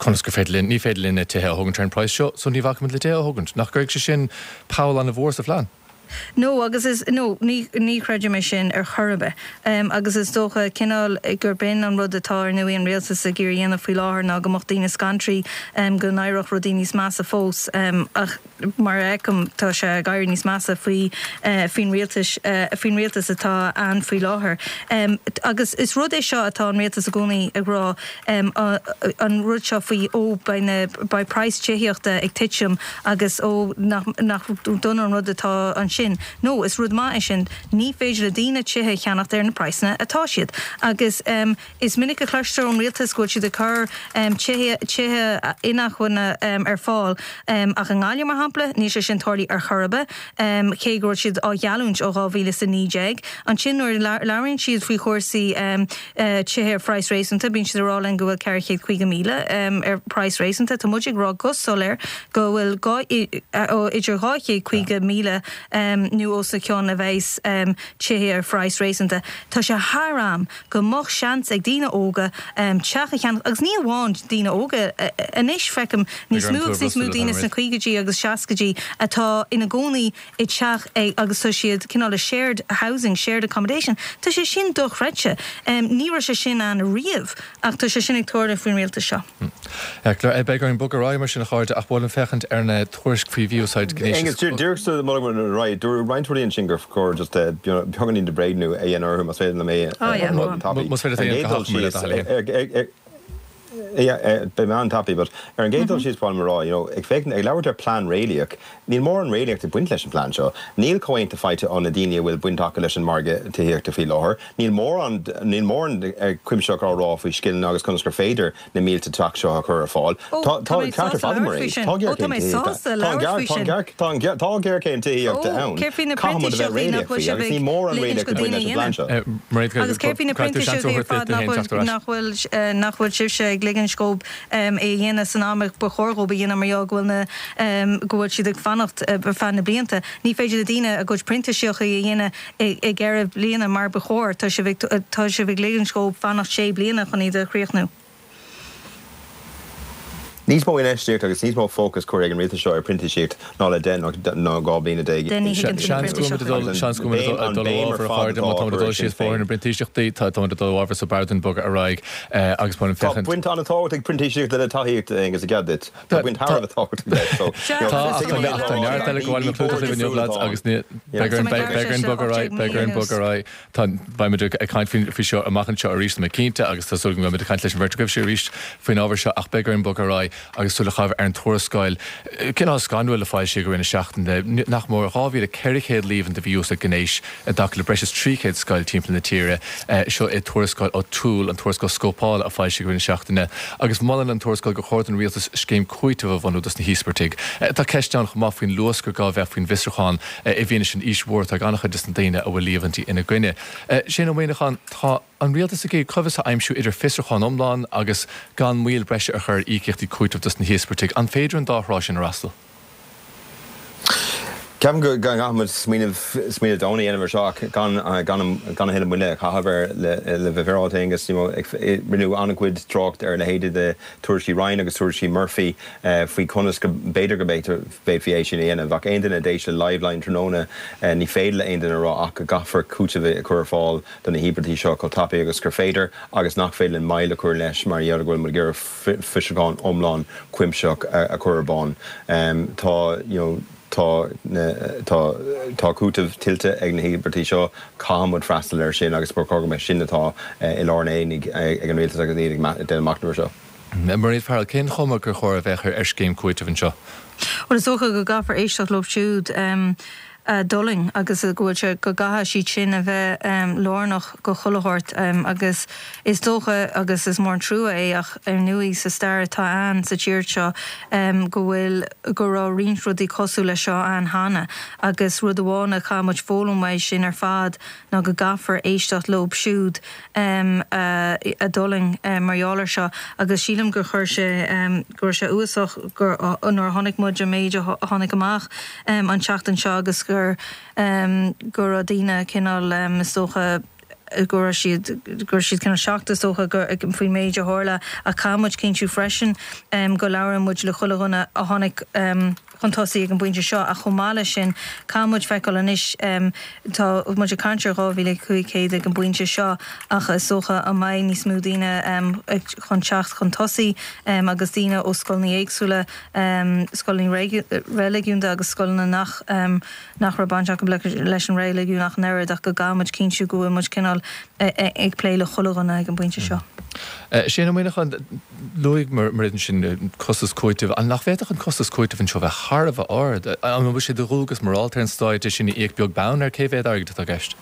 conas gur féidir linn, ní féidir linn na tithe a thógaint ar an praghas seo so ní bhacfaimid le tithe a thógaint. Nach gcuirfidh sé sin poll an-mhór sa phlean? No, agus is, no, ní, ní chreidim é sin ar chor ar bith. Agus is dócha, cineál, gurb in an rud atá, ar ndóigh, an rialtas ag iarraidh a dhéanamh faoi láthair ná go mbeadh daoine scanraithe go n-éireodh rudaí níos measa fós. Ach mar a fheicim, tá sé ag éirí níos measa faoi, faoin rialtas, faoin rialtas atá ann faoi láthair. Agus is rud é seo atá an rialtas i gcónaí ag rá, an rud seo faoi, ó, beidh na, beidh praghas tithíochta ag titim agus ó, nach, nach dona an rud atá ansin. No, is rud maith é sin. Ní féidir le daoine tithe a cheannacht ar na praghsanna atá siad. Agus is minic a chloistear ón rialtas go bhfuil siad ag cur tithe, tithe inacmhainne ar fáil. Ach i nGaillimh, mar shampla, níl sé sin tarlaithe ar chor ar bith, cé go raibh siad á gheallúint ó 2019. Ansin nuair a labhraíonn siad faoi chúrsaí tithe ar phraghas réasúnta, bíonn siad ag rá linn go bhfuil 450,000 ar phraghas réasúnta. Tá muid ag rá go soiléir go bhfuil idir 250,000 nó os a chionn a bheas tithe ar phraghas réasúnta. Tá sé thar am go mbeadh seans ag daoine óga teach a cheannach agus ní amháin daoine óga. Anois feicim níos mó agus níos mó daoine sna caogaidí agus seascaidí atá ina gcónaí i dteach agus tá siad cineál i shared housing, shared accommodation. Tá sé sin dochreidte. Ní raibh sé sin ann riamh ach tá sé sin ag tarlú faoin rialtas seo. Beidh orainn bogadh ar aghaidh mar sin a chairde ach ba mhaith liom féachaint ar na tuairisc faoi mhí-úsáid gnéis. Aengus, díreach sula mbogann muid ar aghaidh, dúradh roinnt rudaí ansin gur chóir just beagáinín de bhréagnú a dhéanamh orthu más féidir liom é a rá go tapaidh. Más féidir leat é a dhéanamh go hachomair le do thoil féin. Yeah, beidh mé an-tapaidh, but ar an gcéad dul síos ba mhaith liom a rá, you know, ag féachaint, ag labhairt ar plean réalaíoch, níl mórán réalaíocht ag baint leis an phlean seo. Níl comhaontú faighte ó na daoine a bhfuil baint acu leis an margadh tithíochta faoi láthair. Níl mórán, níl mórán cuimsitheach á rá faoi scileanna agus conas gur féidir na mílte teach seo a chur ar fáil. Ó, Tá, tá tá mé ceart ar sásta fad labhairt faoi Mairéad. sin. Tá Ó, tá géarchéim mé tithíochta. sásta Tá an labhairt gear, faoi tá an sin. gear, tá an gear, tá géarchéim tithíochta Ó, ann. céard faoi na Caithfidh muid a bheith printíseachtaí nach réalaíoch bhfuil faoi sibh agus ag níl mórán ligint réalaíocht go ag baint daoine leis a an bplean dhéanamh? seo. Mairéad, Agus céard faoi na caithfidh tú seans a printíseachtaí ar thabhairt duit fad féin nach teacht ar bhfuil, ais. nach bhfuil, nach bhfuil sibhse ag ligint dhóibh é a dhéanamh san am a ba chóir dhóibh a dhéanamh mar gheall go bhfuil na, go bhfuil siad ag fanacht ar feadh na blianta. Ní féidir le daoine a gcuid printíseachtaí a dhéanamh i gceithre bliana mar ba chóir. Tá sibh ag, tá sibh ag ligint dhóibh fanacht sé bliana chun iad a chríochnú. Níos mó infheistíochta agus níos mó fócas curtha ag an rialtas seo ar printíseacht ná le deich nó 12 bliana. Ní thuigeann tú na Seans go bhfuil muid ag dul, seans go bhfuil muid ag dul ó ábhar a chairde, má tá muid ag dul síos bóthar na bprintíseachtaí, tá muid ag dul ó ábhar so b'fhearr dúinn bogadh ar aghaidh agus ba mhaith liom Tá féachaint. baint an-tábhachtach ag printíseacht le tithíocht, Aengus, i gcead duit. Tá baint thar a bheith tábhachtach leis. So, Tá, ach tá ach tá neart eile ag gabháil le clúdach libh inniu, lads, agus ní, beidh orainn, beidh orainn bogadh ar aghaidh, beidh orainn bogadh ar aghaidh. Tá, beidh muid ag caint faoi seo amach anseo arís, tá mé cinnte, agus tá súil agam go mbeidh muid ag caint leis an bheirt agaibhse arís faoin ábhar seo, ach beidh orainn bogadh ar aghaidh. agus súil a chaitheamh ar an tuarascáil cineál scanrúil a foilsíodh i rith na seachtaine, nach mór 2,400 líomhain de mhí-úsáid gnéis i dtaca le breis is 300 scoil timpeall na tíre. Seo é tuarascáil O'Toole, an tuarascáil scópála a foilsíodh i rith na seachtaine, agus molann an tuarascáil gur chóir don rialtas scéim cúitimh a bhunú dos na híospartaigh. Tá ceist ann chomh maith faoin luas gur gá a bheith faoin bhfiosrúchán i bhfianaise an aois mhór atá ag an-chuid des na daoine a bhfuil líomhaintí ina gcoinne. Shane Ó Muíneacháin, tá an rialtas ag iarraidh coibhéis a aimsiú idir fiosrúchán iomlán agus gan moill breise a chur ar íocaíochtaí cúitimh dos na híospartaigh. An féidir an dá thrá sin a fhreastal? Ceapaim go gcaithfidh muid smaoineamh, smaoineamh domhain a dhéanamh ar seo ach gan, gan, gan a thuilleadh moille a chaitheamh air le, le bheith féaráilte, Aengus. You know, rinneadh an-chuid trácht ar a leithéidí de tuairiscí Ryan agus tuairiscí Murphy faoi conas go b'fhéidir go bhféadfaí é sin a dhéanamh. Ach aon duine a d'éist le Liveline tráthnóna, ní féidir le aon duine a rá ach go gcaithfear cúiteamh a chur ar fáil do na híobartaigh seo chomh tapaidh agus gur féidir agus nach féidir linn moill a chur leis mar gheall ar go bhfuil muid ag iarraidh fiosrúchán iomlán cuimsitheach a chur ar bun. Tá, you know, tá na, tá, tá cúiteamh tuillte ag na híobartaigh seo, caithfidh muid freastal air sin agus ba chóir go mbeadh sin atá i lár an aonaigh ag an rialtas agus iad ag déanamh machnaimh air seo. Mairéad Farrell, cén chuma gur chóir a bheadh ar scéim cúitimh anseo? Bhuel, is dócha go gcaithfear éisteacht leo siúd a d'fhulaing agus go bhfuil sé, go gcaithfidh siad sin a bheith lárnach go chuile shórt agus is dócha agus is mór an trua é ach ar ndóigh sa stair atá ann sa tír seo go bhfuil, go raibh roinnt rudaí cosúil leis seo ann cheana agus rud amháin a chaithfidh muid foghlaim uaidh sin ar fad ná go gcaithfear éisteacht leo siúd a d'fhulaing mar gheall air seo agus sílim gur chuir sé, go raibh sé uafásach gur, nuair a chonaic muid an méid a tháinig amach an tseachtain seo agus gur, go raibh daoine cineál, is dócha, go raibh siad, go raibh siad cineál shocked is dócha gur, faoin méid a tharla ach caithfidh muid cinntiú freisin go labhrann muid le chuile dhuine a tháinig chun tosaigh ag an bpointe seo ach chomh maith leis sin caithfidh muid feiceáil anois, tá muid ag caint ar 2,500 ag an bpointe seo ach is dócha an mbeidh níos mó daoine chun teacht chun tosaigh agus daoine ó scoileanna éagsúla, scoileanna reiligiúnda agus scoileanna nach nach raibh baint acu leis an reiligiún ach an oiread ach go gcaithfidh muid cinntiú go bhfuil muid cineál ag plé le chuile dhuine ag an bpointe seo. Shane Ó Muíneacháin, Luaigh Mairéad ansin costas cúitimh. An nach bhféadfadh an costas cúitimh anseo bheith thar a bheith ard? An bhfuil sé de dhualgas morálta ar an Stát é sin a íoc beag beann ar cé mhéad airgid atá i gceist?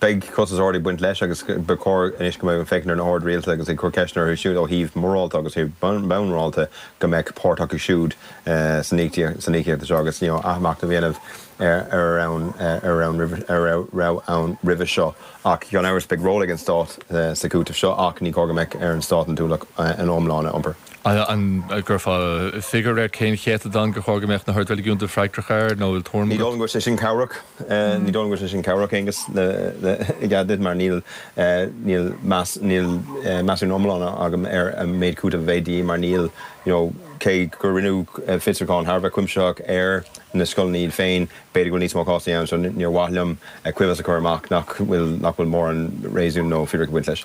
Beidh costas ard ag baint leis agus ba chóir anois go mbeadh ag féachaint ar na hoird rialta agus ag cur ceisteanna orthu siúd ó thaobh morálta agus ó thaobh bonn morálta go mbeadh páirt acu siúd san íocaíocht seo agus athmhachnamh a dhéanamh ar a raibh ann roimhe seo. Ach gan amhras beidh ról ag an Stát sa chúiteamh seo ach ní chóir go mbeadh ar an Stát an t-ualach iomlán a iompar. An gcuirfeá figiúr ar cén chéatadán gur chóir go mbeadh na hoird reiligiúnda freagrach air nó bhfuil tuairim Ní dóigh liom go bhfuil sé sin cabhrach. Ní dóigh liom go bhfuil sé sin cabhrach, Aengus, i gcead duit, mar níl níl meas níl measúnú iomlán agam ar an méid cúitimh a bheidh de dhíth mar níl you know cé gur rinneadh fiosrúchán thar a bheith cuimsitheach ar na scoileanna iad féin, b'fhéidir go bhfuil níos mó cásanna ann so níor mhaith liom coibhéis a chur amach nach bhfuil nach bhfuil mórán réasún nó fíric ag baint leis.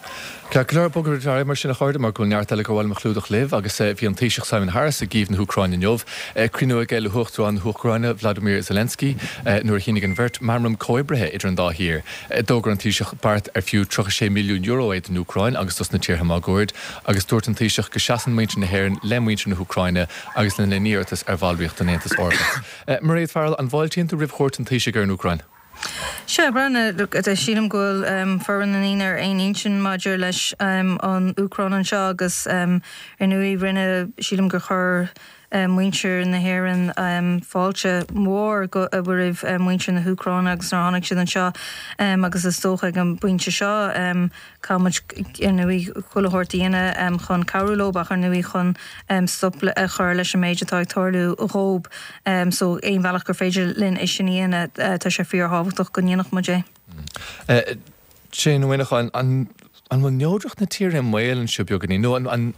Ceart go leor, bogfaidh muid ar aghaidh mar sin a chairde mar go bhfuil neart eile gur mhaith liom a chlúdach libh agus bhí an Taoiseach Simon Harris i gCív na hÚcráine inniu. Cruinniú aige le hUachtarán na hÚcráine Vladimir Zelensky nuair a shínigh an bheirt meamram comhoibrithe idir an dá thír. D'fhógair an Taoiseach beart ar fiú €36 milliún é don Úcráin agus dos na tíortha máguaird agus dúirt an Taoiseach go seasann muintir na hÉireann le muintir na hÚcráine agus lena n-iarratas ar bhallraíocht den Aontas Eorpach. Mairéad Farrell, an bhfáiltíonn tú roimh chuairt an Taoisigh ar an Úcráin? Sea, breathnaigh, look, sílim go bhfuil formhór na ndaoine ar aon intinn maidir leis an Úcráin anseo agus ar ndóigh rinne, sílim gur chuir muintir na hÉireann fáilte mhór roimh muintir na hÚcráine agus nuair a tháinig siad anseo agus is dócha ag an bpointe seo caithfidh muid ar ndóigh chuile shórt a dhéanamh chun cabhrú leo ach ar ndóigh chun stop a chur leis an méid atá ag tarlú dhób so aon bhealach gur féidir linn é sin a dhéanamh tá sé fíorthábhachtach go ndéanfadh muid é. Shane Ó Muíneacháin, an bhfuil neodracht na tíre i mbaol anseo beagáinín nó an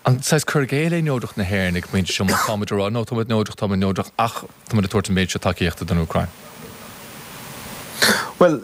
an saghas cur i gcéill é neodracht na hÉireann ag an bpointe seo má táimid ag rá no tá muid neodrach, tá muid neodrach ach tá muid ag tabhairt an méid seo tacaíochta don Úcráin? Bhuel,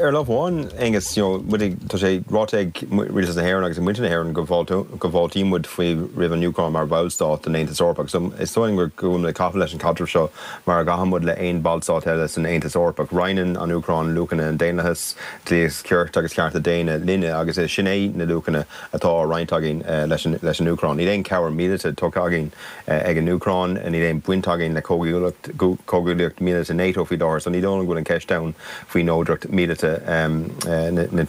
ar lámh amháin, Aonghus, you know, muid ag, tá sé ráite ag Rialtas na hÉireann agus ag muintir na hÉireann go go bhfáiltíonn muid faoi roimh an Úcráin mar bhallstát den Aontas Eorpach. So is dóigh liom go bhfuil muid ag caitheamh leis an chaidreamh seo mar a gcaitheann muid le aon bhallstát eile san Aontas Eorpach. Roinneann an Úcráin luachanna an daonlathais, dlí agus cirt agus cearta daonna linne agus is sin é na luachanna atá á roinnt againn leis an leis an Úcráin. Níl aon chabhair míleata tugtha againn ag an Úcráin, níl aon baint againn le comhghuaillíocht míleata NATO faoi láthair, so ní dóigh liom go bhfuil an ceist ann faoi neodracht míleata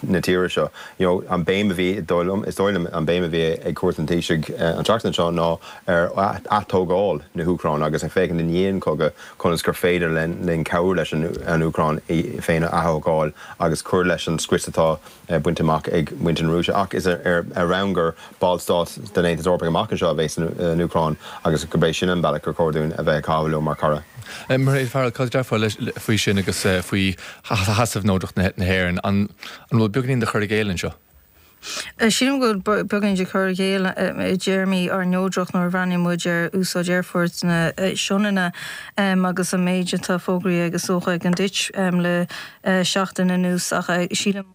na tíre seo. You know, an béim a bhí, is dóigh liom, is dóigh liom, an béim a bhí ag cuairt an Taoisigh an tseachtain seo ná ar atógáil na hÚcráine agus ag féachaint i ndiaidh an chogaidh conas gur féidir linn cabhrú leis an Úcráin í féin a athógáil agus cur leis an scrios atá bainte amach ag muintir na Rúise, ach is ar bhonn gur ballstát den Aontas Eorpach amach anseo a bheas an Úcráin agus gurb é sin an bealach gur chóir dúinn a bheith ag caitheamh leo mar chara. Mairéad Farrell, cad a déarfá faoi sin agus faoi sheasamh neodracht na hÉireann? An bhfuil beagáinín de chur i gcéill anseo? Sílim go bhfuil beagáinín de chur i gcéill i dtéarmaí ár neodracht nuair a bhreathnaíonn muid ar úsáid Aerfort na Sionainne agus an méid atá fógraithe is dócha ag an Ditch le seachtain anuas ach sílim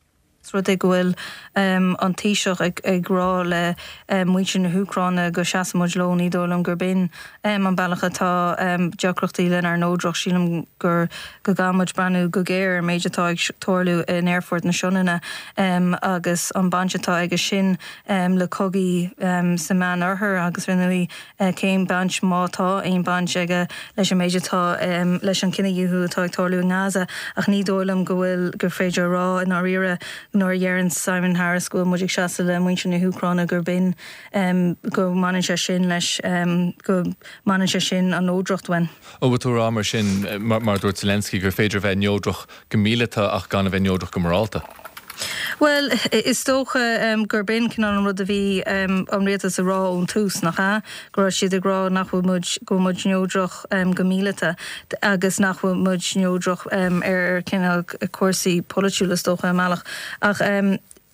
más rud é go bhfuil an Taoiseach ag rá le muintir na hÚcráine go seasann muid leo, ní dóigh liom gurb in an bealach atá deacrachtaí lenár neodracht. Sílim gur go gcaithfidh muid breathnú go géar ar an méid atá ag tarlú in Aerfort na Sionainne agus an baint atá aige sin le cogaí sa Meán-Oirthear agus ar ndóigh cén baint, má tá aon baint aige leis an méid atá, leis an cinedhíothú atá ag tarlú i nGaza. Ach ní dóigh liom go bhfuil, gur féidir a rá i ndáiríre nuair a dheireann Simon Harris go bhfuil muid ag seasamh le muintir na hÚcráine gurb in, go mbaineann sé sin leis, go mbaineann sé sin an neodracht uainn. An bhfuil tú a rá mar sin, mar a dúirt Zelensky, gur féidir a bheith neodrach go míleata ach gan a bheith neodrach go morálta? Bhuel, is dócha gurb in cineál an rud a bhí an rialtas a rá ón tús, nach ea? Go raibh siad ag rá nach bhfuil muid, go bhfuil muid neodrach go míleata agus nach bhfuil muid neodrach ar cineál cúrsaí polaitiúla, is dócha, i mbealach. Ach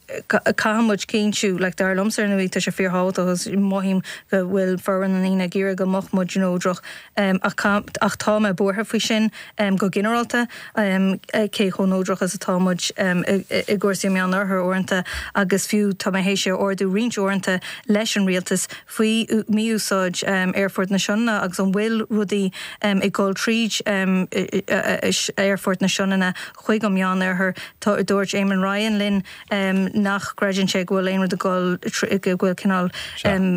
caithfidh muid cinntiú, like, dar liomsa ar ndóigh, tá sé fíorthábhachtach agus mothaím go bhfuil formhór na ndaoine ag iarraidh go mbeadh muid neodrach ach, ach tá mé buartha faoi sin go ginearálta, cé chomh neodrach is atá muid i gcúrsaí an Meánoirthir uaireanta agus fiú tá mé théis é a ardú roinnt uaireanta leis an rialtas faoi mhí-úsáid Aerfort na Sionainne agus an bhfuil rudaí ag dul tríd Aerfort na Sionainne chuig an Meánoirthear. Dúirt Eamon Ryan linn nach gcreideann sé go bhfuil aon rud ag dul, go bhfuil cineál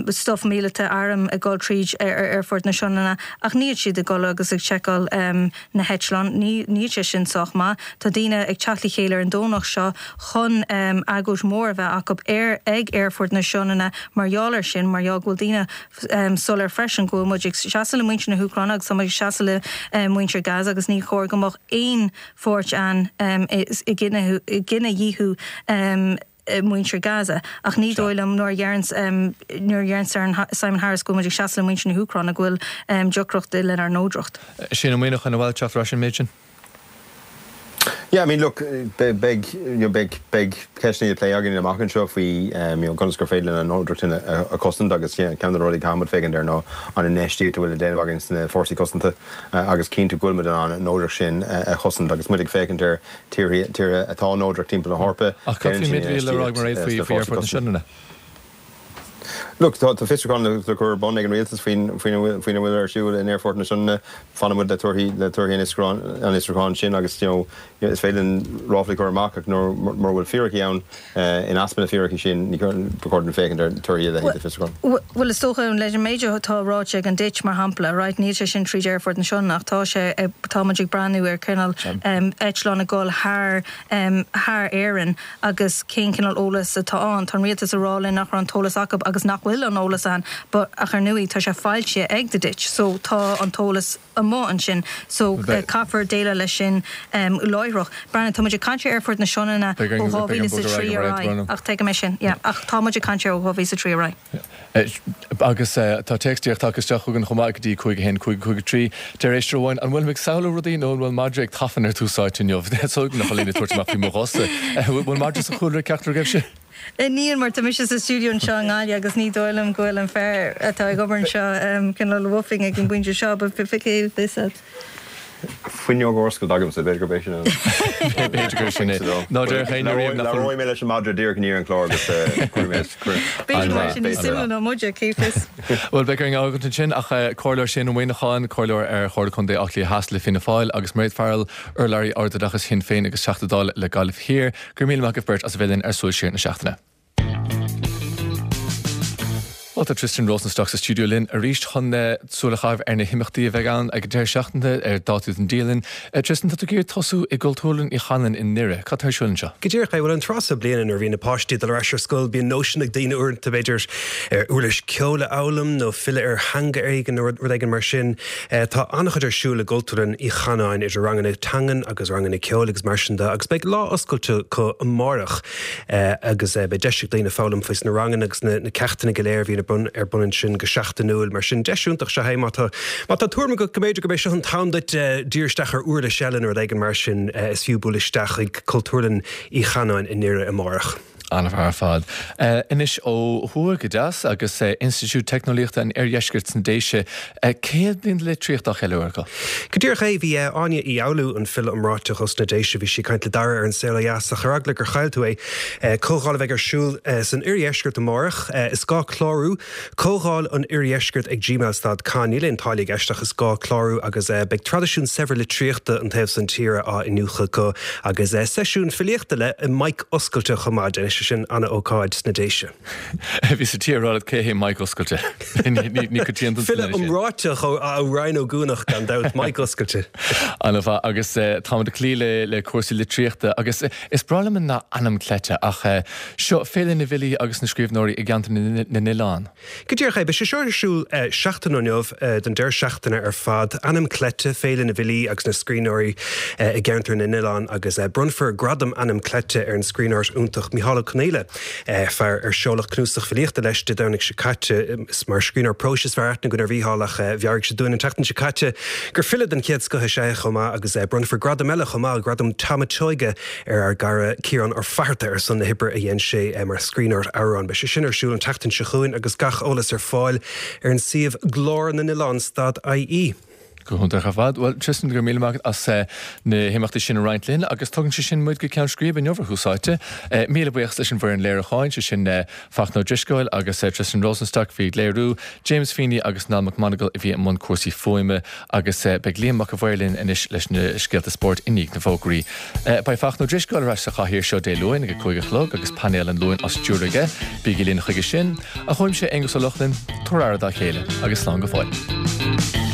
stuif míleata, airm ag dul tríd Aerfort na Sionainne ach níl siad ag dul agus ag seiceáil na heitleáin. Níl sé sin sách maith. Tá daoine ag teacht le chéile ar an Domhnach seo chun agóid mhór a bheith acu ar ag Aerfort na Sionainne mar gheall air sin, mar gheall go bhfuil daoine soiléir freisin go bhfuil muid ag seasamh le muintir na hÚcráine agus tá muid ag seasamh le muintir Gaza agus ní chóir go mbeadh aon pháirt ann i gcinedhíothú muintir Gaza. Ach ní dóigh liom nuair a dheireann nuair a dheireann Simon Harris go bhfuil muid ag seasamh le muintir na hÚcráine go bhfuil deacracht lenár neodracht. Shane Ó Muíneacháin, an bhfuil teacht ar ais an méid sin? Yeah, I mean, look, beidh, you know, beidh, beidh ceisteanna le plé againn amach anseo faoi, you know, conas gur féidir linn an neodracht sin a chosaint agus, yeah, ceann de na rudaí a caithfidh muid féachaint air ná an infheistíocht a bhfuil le déanamh againn sna fórsaí cosanta agus cinntiú go bhfuil muid in ann an neodracht sin a chosaint agus muid ag féachaint ar tíortha, tíortha atá neodrach timpeall na hEorpa, Ach cad faoin méid a bhí le rá ag Mairéad faoi, faoi Aerfort na Sionainne? Look, tá fiosrúchán le cur ar bun ag an rialtas faoina bhfuil ar siúl in Aerfort na Sionainne. Fanfaidh muid le torthaí le torthaí an fhiosrúcháin sin agus you know is féidir linn ráflaí a chur amach ach nuair mura bhfuil fíricí ann, in easpa na fíricí sin, ní ba chóir dúinn féachaint ar torthaí a leithéid de fiosrúchán. Bhuel, is dócha, leis an méid atá ráite ag an Ditch, mar shampla, right, níl sé sin tríd Aerfort na Sionainne ach tá sé, tá muid ag breathnú ar cineál eitleán ag dul thar thar Éirinn. agus cén cineál eolas atá ann. Tá an rialtas ag rá linn nach raibh an t-eolas acu agus nach bhfuil an eolas ann but ach ar ndóigh tá sé foilsithe ag The Ditch so tá an t-eolas amuigh ansin so caithfear déileáil leis sin láithreach. Breathnaigh, tá muid ag caint ar Aerfort na Sionainne ó 2003 ar aghaidh ach tuigim é sin, yeah, ach tá muid ag caint air ó 2003 ar aghaidh. Agus tá téacs díreach tagtha isteach chugainn chomh maith go dtí 5 1 5 5 3. Deir éisteoir amháin, An bhfuilim ag samhlú rudaí nó an bhfuil madra ag tafann ar Tús Áite inniu? Is uaigneach a líne tabhairt amach faoi mo ghosa. Bhfuil madra sa chúlra ag ceachtar agaibhse? Níl, mar tá mise sa stiúideo anseo i nGaillimh agus ní dóigh liom go bhfuil an fear atá ag obair anseo cineál woofing ag an bpointe seo, but cé fios. Fuinneog ar oscailt agamsa, b'fhéidir gurb é sin an. B'fhéidir gur sin é. Ná déarfadh éinne riamh nach bhfuil. Labhróidh mé leis an madra díreach i ndiaidh an chláir agus cuirfidh mé. B'fhéidir go mbeidh sé níos suimiúla ná muide, cé fios. Bhuel, beidh orainn fhágaint ansin ach Comhairleoir Shane Ó Muíneacháin, Comhairleoir ar Chomhairle Contae Átha Cliath Theas le Fianna Fáil agus Mairéad Farrell, Urlabhraí Ardoideachais Shinn Féin agus Teachta Dála le Gaillimh Thiar, go raibh míle maith agaibh beirt as a bheith linn ar Súil Siar na Seachtaine. Bhuel, tá Tristan Rosenstock sa stiúideo linn arís chun súil a chaitheamh ar na himeachtaí a bheidh ann ag an deireadh seachtaine ar dátaí don dialann. Tristan, tá tú ag iarraidh tosú i gCultúrlann Uí Chanáin i nDoire. Cad tá ar siúl anseo? Go díreach é. Bhuel, an tráth seo bliana nuair a bhíonn na páistí ag dul ar ais ar scoil, bíonn nóisean ag daoine uaireanta, b'fhéidir, ar uirlis ceoil a fhoghlaim nó filleadh ar theanga éigin nó rud éigin mar sin. Tá an-chuid ar siúl i gCultúrlann Uí Chanáin idir ranganna teangan agus ranganna ceoil agus mar sin de agus beidh lá oscailte acu amárach. agus beidh deis ag daoine foghlaim faoi sna ranganna agus na ceachtanna go léir a bhíonn ar bun ar bun ansin go seachtainiúil. Mar sin, deis iontach is ea é má tá má tá tuairim agat go mb'fhéidir gurb é seo an t-am duit díriú isteach ar uirlis eile nó rud éigin mar sin, is fiú bualadh isteach chuig Cultúrlann Uí Chanáin i nDoire amárach. An-mhaith ar fad. Anois ó thuaidh go deas agus Institiúid Teicneolaíochta an Oirdheiscirt sna Déise, 100 bliain de litríocht á cheiliúradh acu. Go díreach é, bhí Áine Uí Fhoghlú, an file iomráiteach os na Déise, bhí sí ag caint le Dara ar An Saol Ó Dheas ach ar eagla gur chaill tú é, comhdháil a bheidh ar siúl san Oirdheisceart amárach. Is gá clárú, Comhdháil an Oirdheiscirt ag gmail stad com. Níl aon táille i gceist ach is gá clárú agus beidh traidisiún saibhir litríochta an taobh san tíre á iniúchadh acu agus seisiún filíochta le mic oscailte chomh maith. Déanfaidh sé sin ana-ócáid sna Déise. Bhí sa tír rá leat cé hé Mike Oscailte. Ní coitianta File iomráiteach ó Rinn Ó gCuanach gan dabht, Mike Oscailte. An-mhaith agus táimid ag cloí le cúrsaí litríochta agus is breá liom an nath ainm cleite ach seo Féile na bhFilí agus na Scríbhneoirí i gCeantar na nOileán. Go díreach é, beidh sé seo ar siúl seachtain ó inniu don deireadh seachtaine ar fad. Ainm Cleite, Féile na bhFilí agus na Scríbhneoirí i gCeantar na nOileán agus bronnfar Gradam Ainm Cleite ar an scríbhneoir iontach Micheál Ó Conghaile. Fear ar seoladh cnuasach filíochta leis Dé Domhnaigh seo caite. Is mar scríbhneoir próis is fearr aithne againn ar Mhícheál ach mheabhraigh sé dúinn an tseachtain seo caite gur file den chéad scoth is ea é chomh maith agus bronnfar gradam eile chomh maith, Gradam Tom a' tSeoighe ar ár gcara Ciarán Ó Fatharta ar son na hoibre a dhein sé mar scríbhneoir amhrán. Beidh sé sin ar siúl an tseachtain seo chugainn agus gach eolas ar fáil ar an suíomh Glór na nOileán stad IE. Go hiontach ar fad. Bhuel, Tristan, go raibh míle maith agat as na himeachtaí sin a roinnt linn agus tugann sé sin muid go ceann scríbe inniu ar Thús Áite. Míle buíochas leis an bhfoireann léiriúcháin, sé sin Fachtna Ó Drisceoil agus Tristan Rosenstock a bhí ag léiriú, James Feeney agus Niall McMonagle a bhí i mbun cúrsaí fuaime agus beidh Liam Mac a' Mhaoir linn anois leis na scéalta spóirt i ndiaidh na bhfógraí. Beidh Fachtna Ó Drisceoil ar ais sa chathaoir seo Dé Luain ag a 5 a chlog agus painéal an Luain á stiúradh aige. Bígí linn chuige sin. Ach uaimse, Aonghus Ó Lochlainn, tabhair aire dá chéile agus slán go fóill.